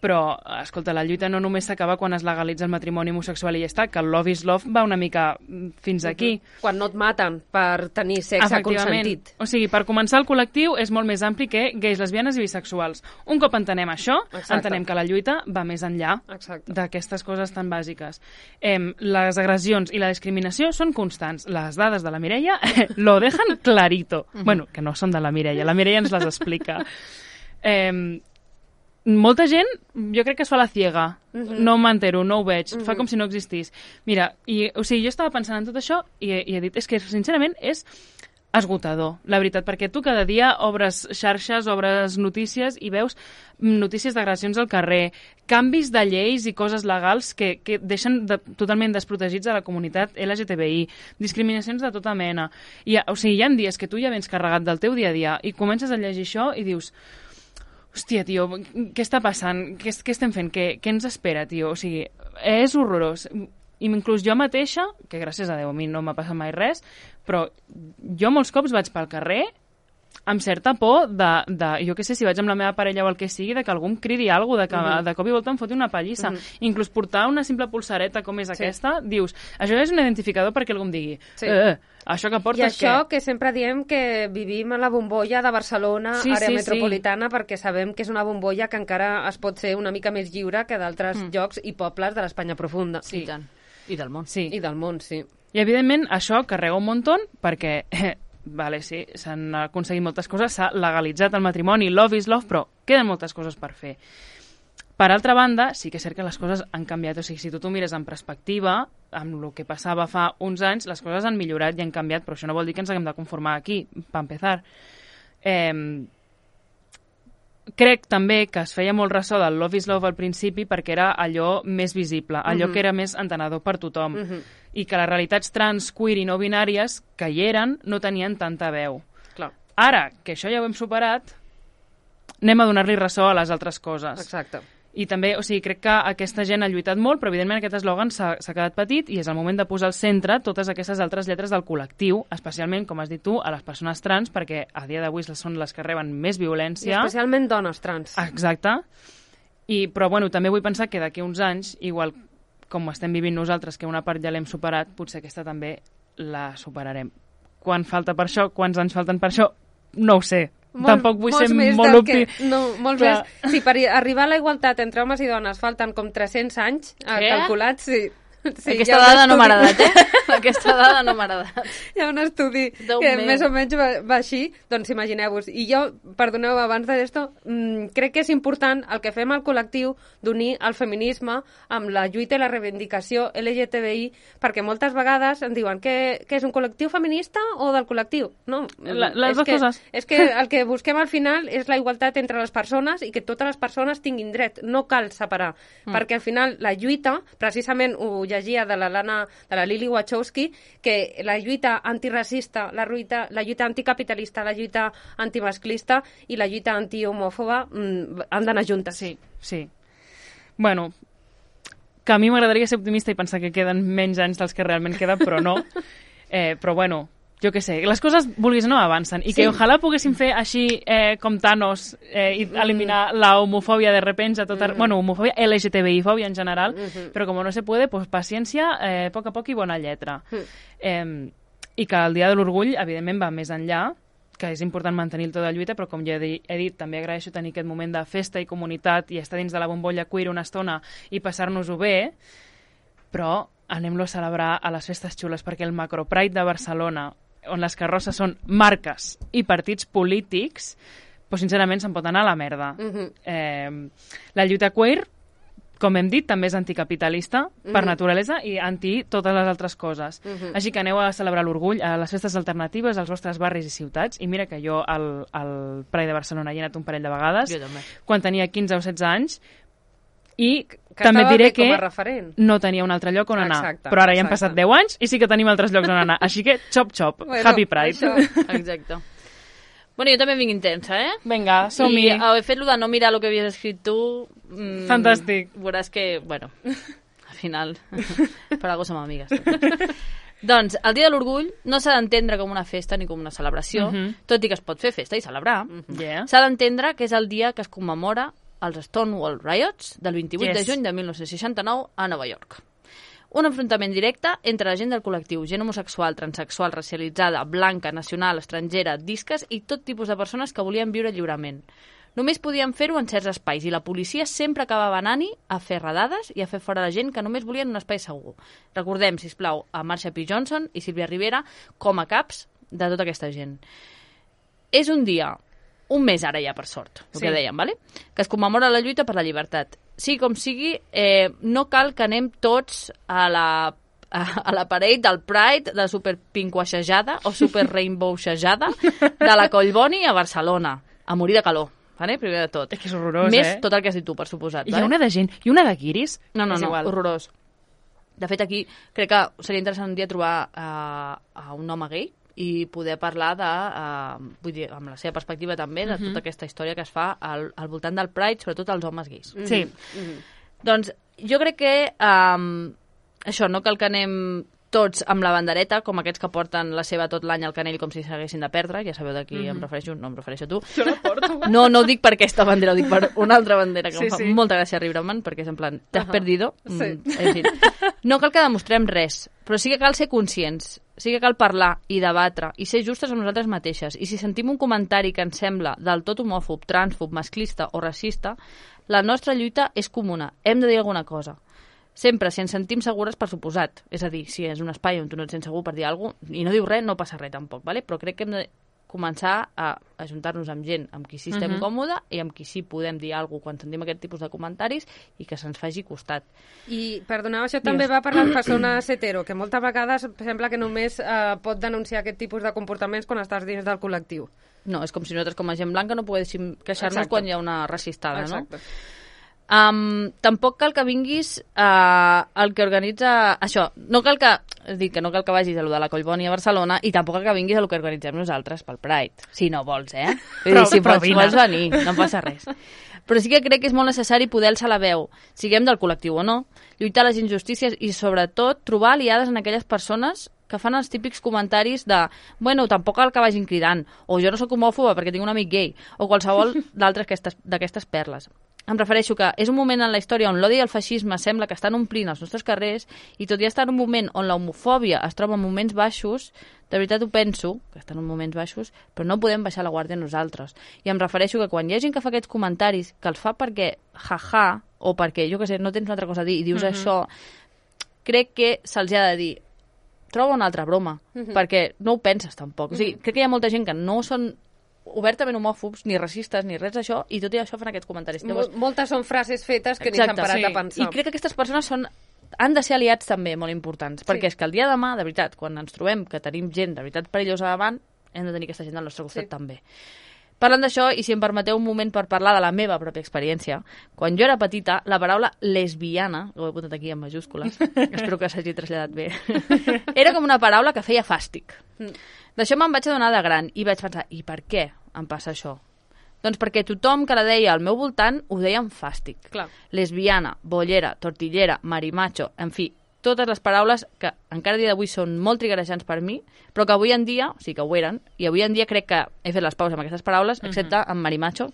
però, escolta, la lluita no només s'acaba quan es legalitza el matrimoni homosexual i ja està, que el love is love va una mica fins aquí. Quan no et maten per tenir sexe consentit. O sigui, per començar, el col·lectiu és molt més ampli que gais, lesbianes i bisexuals. Un cop entenem això, Exacte. entenem que la lluita va més enllà Exacte. d'aquestes coses tan bàsiques. Eh, les agressions i la discriminació són constants. Les dades de la Mireia lo dejan clarito. Bueno, que no són de la Mireia, la Mireia ens les explica. Eh, molta gent, jo crec que es fa la ciega. Uh-huh. No m'entero, no ho veig. Uh-huh. Fa com si no existís. Mira, i, o sigui, jo estava pensant en tot això i, i he dit, és que, sincerament, és esgotador, la veritat, perquè tu cada dia obres xarxes, obres notícies i veus notícies d'agressions al carrer, canvis de lleis i coses legals que, que deixen de, totalment desprotegits a la comunitat L G T B I, discriminacions de tota mena. I, o sigui, hi ha dies que tu ja vens carregat del teu dia a dia i comences a llegir això i dius hòstia, tio, què està passant? Què, què estem fent? Què, què ens espera, tio? O sigui, és horrorós. I inclús jo mateixa, que gràcies a Déu a mi no m'ha passat mai res, però jo molts cops vaig pel carrer amb certa por de, de, jo què sé, si vaig amb la meva parella o el que sigui, de que algú em cridi alguna cosa, de que uh -huh. de cop i volta em foti una pallissa. Uh -huh. Inclús portar una simple pulsareta com és sí. aquesta, dius, això és un identificador perquè algú em digui, sí. eh, això que portes... I això què? que sempre diem que vivim a la bombolla de Barcelona, sí, àrea sí, metropolitana, sí. perquè sabem que és una bombolla que encara es pot ser una mica més lliure que d'altres mm. llocs i pobles de l'Espanya profunda. Sí, i tant. I del món. Sí. I del món, sí. I, evidentment, això carrega un muntó perquè, eh, vale, sí, s'han aconseguit moltes coses, s'ha legalitzat el matrimoni, love is love, però queden moltes coses per fer. Per altra banda, sí que és cert que les coses han canviat. O sigui, si tu t'ho mires en perspectiva, amb el que passava fa uns anys, les coses han millorat i han canviat, però això no vol dir que ens haguem de conformar aquí, per empezar. Eh, crec també que es feia molt ressò del Love is Love al principi perquè era allò més visible, allò uh -huh. que era més entenedor per tothom. Uh -huh. I que les realitats trans, queer i no binàries que hi eren no tenien tanta veu. Clar. Ara, que això ja ho hem superat, anem a donar-li ressò a les altres coses. Exacte. I també, o sigui, crec que aquesta gent ha lluitat molt, però evidentment aquest eslògan s'ha quedat petit i és el moment de posar al centre totes aquestes altres lletres del col·lectiu, especialment, com has dit tu, a les persones trans, perquè a dia d'avui són les que reben més violència. I especialment dones trans. Exacte. I, però, bueno, també vull pensar que d'aquí uns anys, igual com estem vivint nosaltres, que una part ja l'hem superat, potser aquesta també la superarem. Quan falta per això, quants anys falten per això, no ho sé. Molt, Tampoc vull ser molt opti... Que, no, molts més. Sí, per arribar a la igualtat entre homes i dones falten com tres-cents anys eh, calculats. Sí. Sí, Aquesta dada no m'ha agradat, eh? Aquesta dada no m'ha agradat. Hi ha un estudi que meu. més o menys va, va així, doncs imagineu-vos. I jo, perdoneu, abans d'això, mmm, crec que és important el que fem al col·lectiu d'unir el feminisme amb la lluita i la reivindicació L G T B I, perquè moltes vegades ens diuen que, que és un col·lectiu feminista o del col·lectiu. No, la, les és dues que, coses. És que el que busquem al final és la igualtat entre les persones i que totes les persones tinguin dret. No cal separar, mm. perquè al final la lluita, precisament ho llegia de la Lana, de la Lily Wachowski, que la lluita antiracista, la lluita, la lluita anticapitalista, la lluita antimasclista i la lluita antihomòfoba mmm, han d'anar juntes. Sí, sí. Bueno, que a mi m'agradaria ser optimista i pensar que queden menys anys dels que realment queden, però no. Eh, però bueno, jo què sé, les coses, vulguis o no, avancen. I sí. que ojalà poguéssim fer així eh, com Thanos eh, i eliminar mm. la homofòbia de repente a tota... Mm. Bueno, homofòbia, L G T B I-fòbia en general, mm -hmm. però com no se puede, pues paciència, eh, a poc a poc i bona lletra. Mm. Eh, I que el Dia de l'Orgull, evidentment, va més enllà, que és important mantenir tota la lluita, però com ja he dit, he dit, també agraeixo tenir aquest moment de festa i comunitat i estar dins de la bombolla queer una estona i passar-nos-ho bé, però anem-lo a celebrar a les festes xules, perquè el Macro Pride de Barcelona, on les carrosses són marques i partits polítics, doncs sincerament se'n pot anar a la merda. Uh -huh. eh, la lluita queer, com hem dit, també és anticapitalista uh -huh. per naturalesa i anti totes les altres coses. Uh -huh. Així que aneu a celebrar l'orgull a les festes alternatives als vostres barris i ciutats. I mira que jo al, al Pride de Barcelona hi he anat un parell de vegades, jo també. Quan tenia quinze o setze anys, i que també et diré que no tenia un altre lloc on anar. Exacte, però ara exacte. ja han passat deu anys i sí que tenim altres llocs on anar. Així que, xop, xop, bueno, Happy Pride. Això. Exacte. Bueno, jo també vinc intensa, eh? Vinga, som-hi. I haver fet lo de no mirar el que havies escrit tu... Mmm, Fantàstic. Veuràs que, bueno, al final, per algo som amigues. Doncs, el Dia de l'Orgull no s'ha d'entendre com una festa ni com una celebració, uh -huh. tot i que es pot fer festa i celebrar. Uh -huh. yeah. S'ha d'entendre que és el dia que es commemora els Stonewall Riots del vint-i-vuit yes. de juny de mil nou-cents seixanta-nou a Nova York. Un enfrontament directe entre la gent del col·lectiu, gent homosexual, transexual, racialitzada, blanca, nacional, estrangera, disques i tot tipus de persones que volien viure lliurement. Només podien fer-ho en certs espais i la policia sempre acabava anant-hi a fer redades i a fer fora la gent que només volien un espai segur. Recordem, sisplau, a Marsha P. Johnson i Sílvia Rivera com a caps de tota aquesta gent. És un dia, un mes ara ja, per sort, el sí. que dèiem, ¿vale? Que es commemora la lluita per la llibertat. Sigui com sigui, eh, no cal que anem tots a la a, a la parade del Pride de super pinquaixejada o super rainbowxejada de la Collboni a Barcelona, a morir de calor. Vale? Primer de tot. És que és horrorós, Més eh? tot el que has dit tu, per suposat. Hi ha una de gent, i una de guiris. No, no, és no, igual. horrorós. De fet, aquí crec que seria interessant un dia trobar uh, a un home gay i poder parlar de, uh, vull dir, amb la seva perspectiva també, de Uh-huh. tota aquesta història que es fa al, al voltant del Pride, sobretot als homes gais. Sí. Mhm. Doncs jo crec que um, això, no cal que anem tots amb la bandereta, com aquests que porten la seva tot l'any al canell com si s'haguessin de perdre, ja sabeu de qui Mhm. em refereixo, no em refereixo a tu. Jo la porto. No, no ho dic per aquesta bandera, ho dic per una altra bandera que Sí, em fa sí. molta gràcia riure-me'n, perquè és en plan, t'has Ahà. perdido? Sí. Mm, en fi. No cal que demostrem res, però sí que cal ser conscients, sí que cal parlar i debatre i ser justes amb nosaltres mateixes. I si sentim un comentari que ens sembla del tot homòfob, transfob, masclista o racista, la nostra lluita és comuna. Hem de dir alguna cosa. Sempre, si ens sentim segures, per suposat. És a dir, si és un espai on tu no et sents segur per dir alguna cosa, i no dius res, no passa res tampoc, ¿vale? Però crec que hem de començar a ajuntar-nos amb gent amb qui sí estem Mhm. còmode i amb qui sí podem dir alguna cosa quan sentim aquest tipus de comentaris i que se'ns faci costat. I, perdoneu, això també va per les persones hetero, que moltes vegades sembla que només eh, pot denunciar aquest tipus de comportaments quan estàs dins del col·lectiu. No, és com si nosaltres com a gent blanca no poguéssim queixar-nos Exacte. quan hi ha una racistada, Exacte. no? Um, tampoc cal que vinguis uh, el que organitza això, no cal que és dir, que no cal que vagis a lo de la Collboni a Barcelona i tampoc cal que vinguis a lo que organitzem nosaltres pel Pride, si no vols, eh? Vull Però- dir, si però pots, vine. vols venir, no passa res. Però sí que crec que és molt necessari poder alçar la veu, siguem del col·lectiu o no, lluitar les injustícies i sobretot trobar aliades en aquelles persones que fan els típics comentaris de bueno, tampoc cal que vagin cridant, o jo no sóc homòfoba perquè tinc un amic gay, o qualsevol d'altres aquestes- d'aquestes perles. Em refereixo que és un moment en la història on l'odi i el feixisme sembla que estan omplint els nostres carrers i tot i estar en un moment on la homofòbia es troba en moments baixos, de veritat ho penso, que estan en moments baixos, però no podem baixar la guàrdia nosaltres. I em refereixo que quan hi ha gent que fa aquests comentaris, que els fa perquè jaja, o perquè, jo què sé, no tens una altra cosa a dir i dius Mhm. això, crec que se'ls ha de dir troba una altra broma, perquè no ho penses tampoc. O sigui, crec que hi ha molta gent que no són obertament homòfobs, ni racistes, ni res d'això, i tot i això fan aquests comentaris. Mol moltes són frases fetes que ni s'han parat sí. a pensar. I crec que aquestes persones són han de ser aliats també molt importants, perquè és que el dia de demà, de veritat, quan ens trobem que tenim gent de veritat perillosa davant, hem de tenir aquesta gent al nostre costat Sí. també. Parlant d'això, i si em permeteu un moment per parlar de la meva pròpia experiència, quan jo era petita, la paraula lesbiana, ho he apuntat aquí en majúscules, espero que s'hagi traslladat bé, era com una paraula que feia fàstic. D'això me'n vaig adonar de gran i vaig pensar, i per què em passa això? Doncs perquè tothom que la deia al meu voltant ho deia amb fàstic. Clar. Lesbiana, bollera, tortillera, marimacho, en fi, totes les paraules que encara a dia d'avui són molt triggerejants per mi, però que avui en dia, o sigui que ho eren, i avui en dia crec que he fet les pauses amb aquestes paraules, excepte amb marimacho,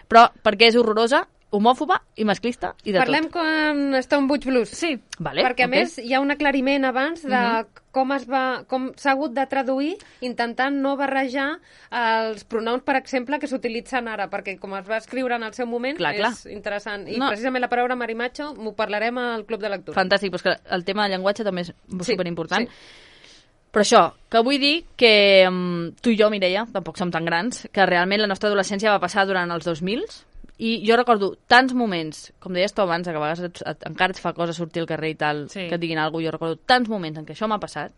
però perquè és horrorosa, homòfoba i masclista i de Parlem tot. com Stone Butch Blues. Sí. Vale, Perquè, a ok. més, hi ha un aclariment abans de com es va, com s'ha hagut de traduir intentant no barrejar els pronoms, per exemple, que s'utilitzen ara, perquè com es va escriure en el seu moment, Clar, clar. és interessant. I No. precisament la paraula marimacho m'ho parlarem al Club de Lectura. Fantàstic, però és que el tema del llenguatge també és Sí, superimportant. sí. Però això, que vull dir que um, tu i jo, Mireia, tampoc som tan grans, que realment la nostra adolescència va passar durant els dos mil, i jo recordo tants moments, com deies tu abans, que a vegades et, et, encara et fa cosa sortir al carrer i tal, Sí. que et diguin alguna cosa, jo recordo tants moments en què això m'ha passat,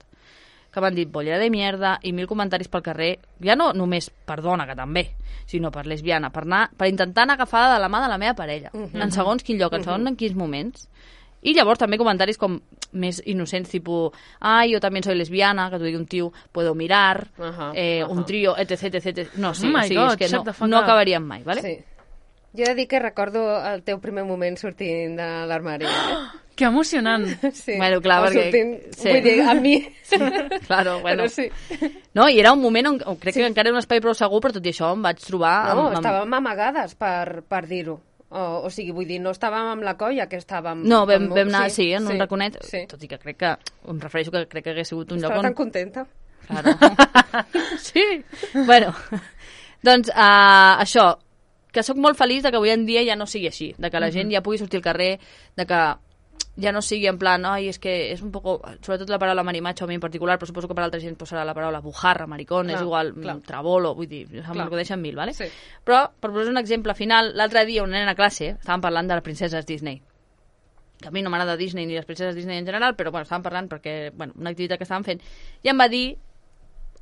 que m'han dit bollera de mierda i mil comentaris pel carrer, ja no només per dona, que també, sinó per lesbiana, per, anar, per intentar anar agafada de la mà de la meva parella, uh -huh. en segons quin lloc, en segons en quins moments. I llavors també comentaris com més innocents, tipus, ai, jo també soy lesbiana, que t'ho digui un tio, puedo mirar, Ahà, eh, ahà. un trio, etc, etc, etc. No, sí, Oh my o sigui, God, és que shut no, the fuck no up. acabaríem mai, vale? Sí. Jo he de dir que recordo el teu primer moment sortint de l'armari. Eh? Que emocionant. Sí. Bueno, clar, O perquè- sortint, sí. Vull dir, a mi. Claro, bueno. Però sí. No, i era un moment on, on crec sí. que encara era un espai prou segur, però tot i això em vaig trobar... No, amb, amb... estàvem amagades, per, per dir-ho. O, o sigui, vull dir, no estàvem amb la colla, que estàvem... No, vam, amb- vam anar, sí, en un sí, raconet, Sí. tot i que crec que, em refereixo que crec que hagués sigut un Estava lloc on... tan contenta. Claro. Sí. Bueno, doncs uh, això, que sóc molt feliç de que avui en dia ja no sigui així, de que la gent ja pugui sortir al carrer, de que ja no sigui en plan, ai, és que és un poco, sobretot la paraula marimacho a mi en particular, però suposo que per altra gent pues, serà la paraula bujarra, maricón, Clar, és igual, clar. trabolo, vull dir, se'm Clar. acudeixen mil, vale? Sí. Però, per posar un exemple final, l'altre dia una nena a classe, estàvem parlant de les princeses Disney, que a mi no m'agrada Disney ni les princeses Disney en general, però bueno, estàvem parlant perquè, bueno, una activitat que estàvem fent, i em va dir,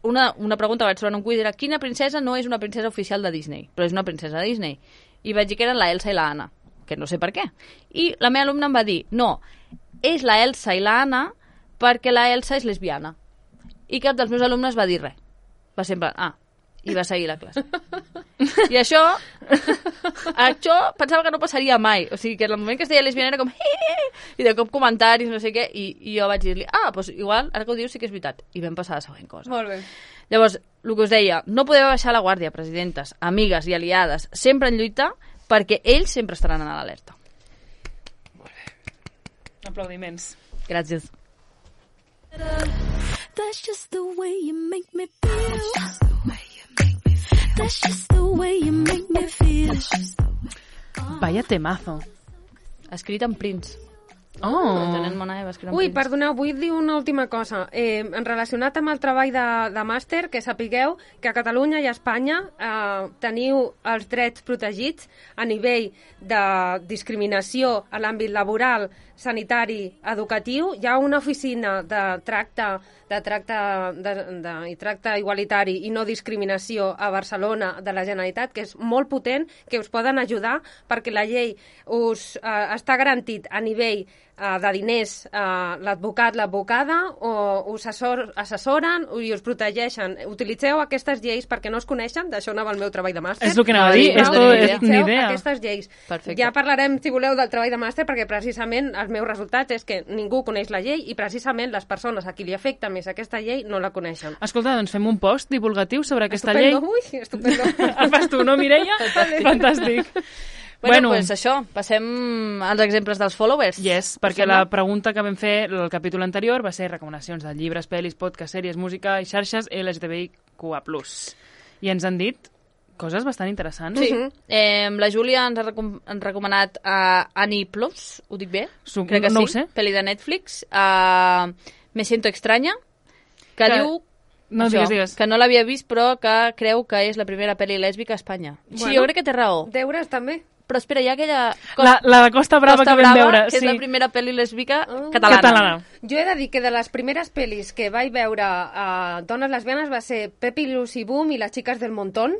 una, una pregunta vaig trobar en un quiz, era quina princesa no és una princesa oficial de Disney, però és una princesa de Disney? I vaig dir que eren la Elsa i la Anna, que no sé per què. I la meva alumna em va dir, no, és la Elsa i la Anna perquè la Elsa és lesbiana. I cap dels meus alumnes va dir res. Va sempre, ah, i va seguir la classe. I això, això pensava que no passaria mai. O sigui, que en el moment que es deia lesbiana era com i de cop comentaris, no sé què, i, i jo vaig dir-li, ah, doncs igual, ara que ho dius sí que és veritat. I vam passar a la següent cosa. Molt bé. Llavors, el que us deia, no podeu baixar la guàrdia, presidentes, amigues i aliades, sempre en lluita, perquè ells sempre estaran a l'alerta. Molt bé. Aplaudiments. Gràcies. That's just the way you make me feel. That's just the way you make me feel. Vaya temazo. Escrit en Prince. Oh. Tenen Mona Eva, escrit en Ui, Prince. perdoneu, vull dir una última cosa. Eh, en relacionat amb el treball de, de màster, que sapigueu que a Catalunya i a Espanya eh, teniu els drets protegits a nivell de discriminació a l'àmbit laboral, sanitari, educatiu. Hi ha una oficina de tracte de tracte, de, de, i tracte igualitari i no discriminació a Barcelona de la Generalitat, que és molt potent, que us poden ajudar perquè la llei us eh, està garantit a nivell eh, de diners eh, l'advocat, l'advocada, o us assessor, assessoren i us protegeixen. Utilitzeu aquestes lleis perquè no es coneixen, d'això anava el meu treball de màster. És el que anava a dir, No, esto no, és idea. ni idea. Aquestes lleis. Perfecte. Ja parlarem, si voleu, del treball de màster, perquè precisament els meus resultats és que ningú coneix la llei i precisament les persones a qui li afecta més aquesta llei no la coneixen. Escolta, doncs fem un post divulgatiu sobre aquesta Estupendo. llei. Ui, estupendo. El fas tu, no, Mireia? Fantàstic. Bueno, doncs pues això, passem als exemples dels followers. Yes, perquè la pregunta que vam fer el capítol anterior va ser recomanacions de llibres, pel·lis, podcasts, sèries, música i xarxes L G T B I Q A plus. I ens han dit coses bastant interessants. Sí. Eh, la Júlia ens ha recom han recomanat uh, Annie Plus, ho dic bé? Su Crec que no sí. ho sé. Pel·li de Netflix. Uh, Me siento extraña, que, que diu no, això, digues, digues. que no l'havia vist, però que creu que és la primera pel·li lèsbica a Espanya. Bueno, sí, jo crec que té raó. Deures també. Però espera, hi ha aquella... La, la de Costa Brava Costa que vam Brava, veure. que sí. és la primera pel·li lèsbica Oh. catalana. Catalana. Jo he de dir que de les primeres pel·lis que vaig veure a dones lesbianes va ser Pepi, Lucy Boom i les xiques del Montón,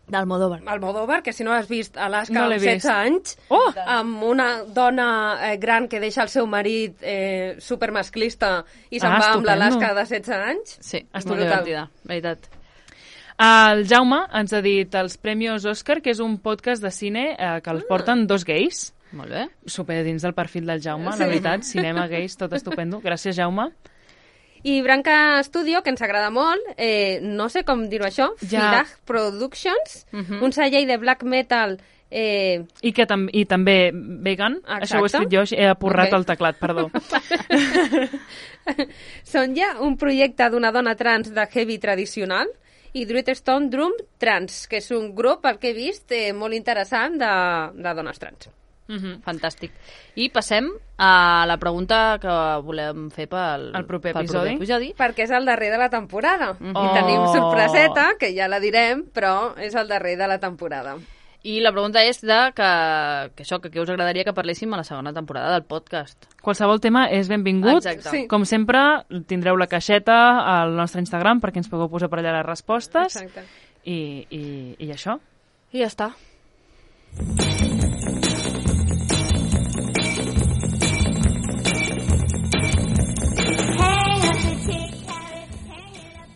D'Almodóvar. Almodóvar, que si no l'has vist, Alaska No l'he amb setze vist. anys, Oh! amb una dona eh, gran que deixa el seu marit eh, supermasclista i se'n Ah, va amb estupendo. l'Alaska de setze anys. Sí, és Molt molt brutal. divertida, veritat. El Jaume ens ha dit els Premios Òscar, que és un podcast de cine eh, que els porten dos gais. Molt bé. Super dins del perfil del Jaume, Sí. la veritat. Cinema, gais, tot estupendo. Gràcies, Jaume. I Branca Studio, que ens agrada molt, eh, no sé com dir-ho això, Ja. Fidag Productions, Mhm. un segell de black metal eh, I, que tam I també vegan. Exacte. Això ho he escrit jo, he apurrat Ok. el teclat, perdó. són ja un projecte d'una dona trans de heavy tradicional i Druid Stone Drum Trans, que és un grup, el que he vist, eh, molt interessant de, de dones trans. Mhm. Fantàstic. I passem a la pregunta que volem fer pel, El proper pel episodi. proper episodi. Perquè és el darrer de la temporada. Mhm. I tenim Oh. sorpreseta, que ja la direm, però és el darrer de la temporada. I la pregunta és de que, que això, que què us agradaria que parléssim a la segona temporada del podcast. Qualsevol tema és benvingut. Exacte. Sí. Com sempre, tindreu la caixeta al nostre Instagram perquè ens pugueu posar per allà les respostes. Exacte. I, i, i això. I ja està.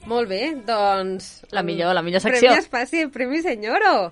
Molt bé, doncs... La millor, la millor secció. Premi Espàcia i Premi Senyoro.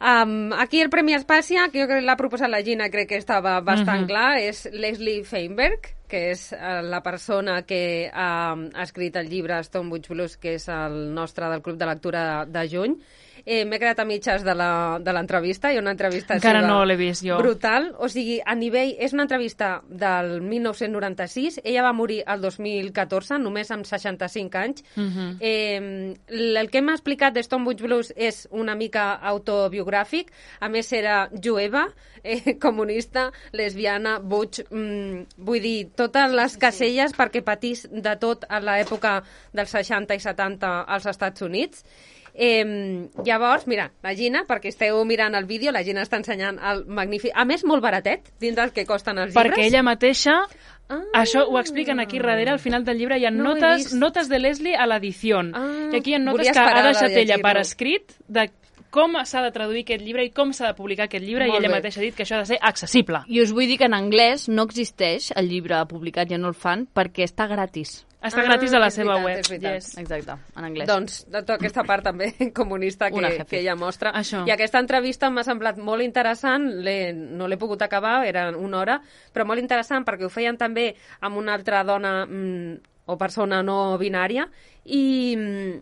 Um, aquí el Premi Espàcia, que jo crec que l'ha proposat la Gina, crec que estava bastant Mhm. clar, és Leslie Feinberg, que és uh, la persona que uh, ha escrit el llibre Stonebridge Blues, que és el nostre del Club de Lectura de juny. Eh, M'he quedat a mitges de la- de l'entrevista, hi ha una entrevista Encara seva no l'he vist jo. brutal, o sigui, a nivell... És una entrevista del mil nou-cents noranta-sis, ella va morir el dos mil catorze, només amb seixanta-cinc anys. Mhm. Eh, el que m'ha explicat de Stonebridge Blues és una mica autobiogràfic, a més era jueva, eh, comunista, lesbiana, butch, mm, vull dir, totes les caselles perquè patís de tot a l'època dels seixanta i setanta als Estats Units. Eh, llavors, mira, la Gina, perquè esteu mirant el vídeo, la Gina està ensenyant el magnífic... A més, molt baratet, dins del que costen els llibres. Perquè ella mateixa... Ah. Això ho expliquen aquí darrere, al final del llibre hi ha No ho he notes, vist. notes de Leslie a l'edició. Ah, I aquí hi ha notes volia que ha esperar de deixat ella per llegir-lo. escrit de com s'ha de traduir aquest llibre i com s'ha de publicar aquest llibre, Molt i ella bé. mateixa ha dit que això ha de ser accessible. I us vull dir que en anglès no existeix el llibre publicat, ja no el fan, perquè està gratis. Està Ah, gratis a la és seva veritat, web. és veritat. Yes. Exacte, en anglès. Doncs, de tota aquesta part també comunista Una que, jefe. que ella mostra. Això. I aquesta entrevista m'ha semblat molt interessant, l'he- no l'he pogut acabar, era una hora, però molt interessant perquè ho feien també amb una altra dona mm, o persona no binària i... Mm,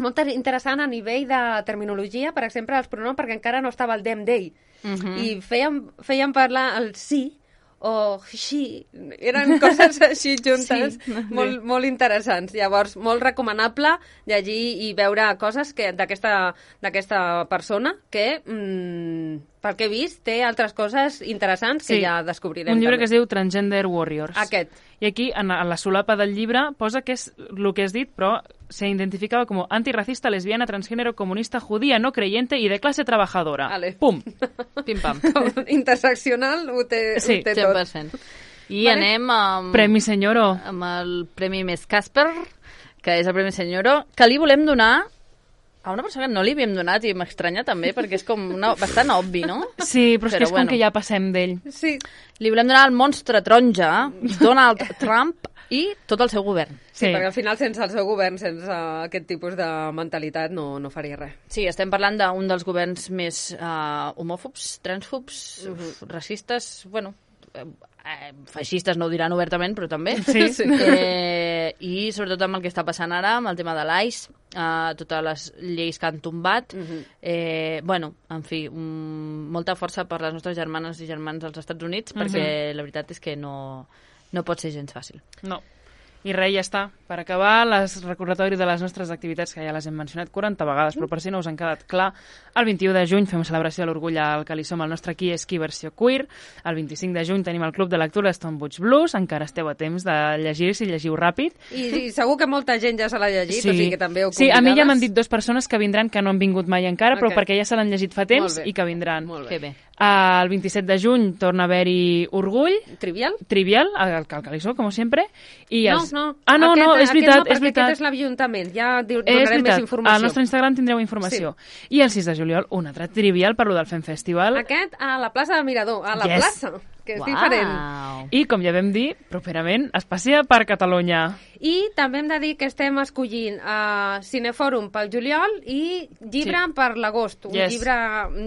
molt ter- interessant a nivell de terminologia, per exemple, els pronoms, perquè encara no estava el them they. Uh -huh. I feien, feien parlar el sí o she. Eren coses així juntes, Sí. molt, molt interessants. Llavors, molt recomanable llegir i veure coses que d'aquesta d'aquesta persona que, mm, pel que he vist, té altres coses interessants que Sí. ja descobrirem. Un llibre també. que es diu Transgender Warriors. Aquest. I aquí, en, en la solapa del llibre, posa que és el que has dit, però se identificava com antirracista, lesbiana, transgénero, comunista, judía, no creyente y de clase trabajadora. Ale. Pum! Pim-pam. Interseccional ho té, Sí, ho té cent tot. per cent. I Vale. anem amb, Premi Senyoro. amb el Premi Més Casper, que és el Premi Senyoro, que li volem donar a una persona que no li havíem donat i m'estranya també, perquè és com una, bastant obvi, no? Sí, però és Però que és bueno. com que ja passem d'ell. Sí, Li volem donar al monstre taronja, Donald Trump, i tot el seu govern. sí, Sí. perquè al final sense el seu govern, sense aquest tipus de mentalitat, no, no faria res. Sí, estem parlant d'un dels governs més uh, homòfobs, transfobs, uh -huh. racistes, bueno, eh, eh, feixistes no ho diran obertament, però també. Sí. Sí. Eh, I sobretot amb el que està passant ara, amb el tema de l'A I C E, uh, totes les lleis que han tombat. Uh -huh. eh, bueno, en fi, um, molta força per les nostres germanes i germans als Estats Units, Uh -huh. perquè la veritat és que no, no pot ser gens fàcil. No. I res, ja està. Per acabar, les recordatori de les nostres activitats, que ja les hem mencionat quaranta vegades, però per si no us han quedat clar, el vint-i-u de juny fem celebració de l'orgull al que li som el nostre Qui és qui versió queer. El vint-i-cinc de juny tenim el Club de Lectura Stonebridge Blues. Encara esteu a temps de llegir si llegiu ràpid. I, I segur que molta gent ja se l'ha llegit, o sigui que també heu sí, a mi ja convidades. m'han dit dues persones que vindran que no han vingut mai encara, però Ok. perquè ja se l'han llegit fa temps Molt bé. i que vindran. Molt Que bé. bé. El vint-i-set de juny torna a haver-hi Orgull, Trivial? Trivial, al Calcalisó, com sempre. I No, els... no. Ah, no, aquest, no, és aquest veritat, no, és perquè veritat. Aquest és l'Ajuntament, ja diu, És donarem veritat, més informació. al nostre Instagram tindreu informació. I el sis de juliol, un altre trivial per lo del Fem Festival. Aquest a la plaça de Mirador, a la Yes. plaça, que és Uau. diferent. I, com ja vam dir, properament es passeja per Catalunya. I també hem de dir que estem escollint uh, Cinefòrum pel juliol i llibre Sí. per l'agost. Un Yes. llibre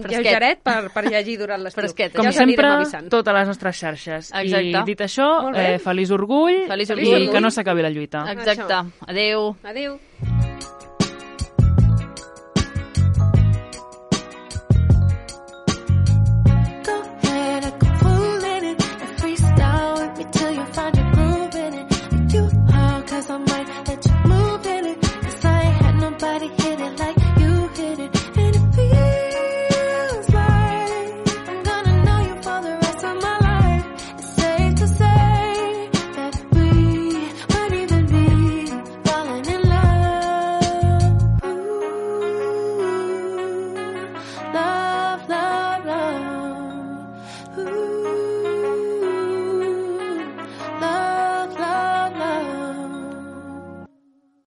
Fresquet. lleugeret per, per llegir durant l'estiu. Fresquet. Com ja us sempre, anirem avisant. totes les nostres xarxes. Exacte. I dit això, Molt bé. eh, feliç orgull Feliç i orgull. que no s'acabi la lluita. Exacte. Adeu. Adéu.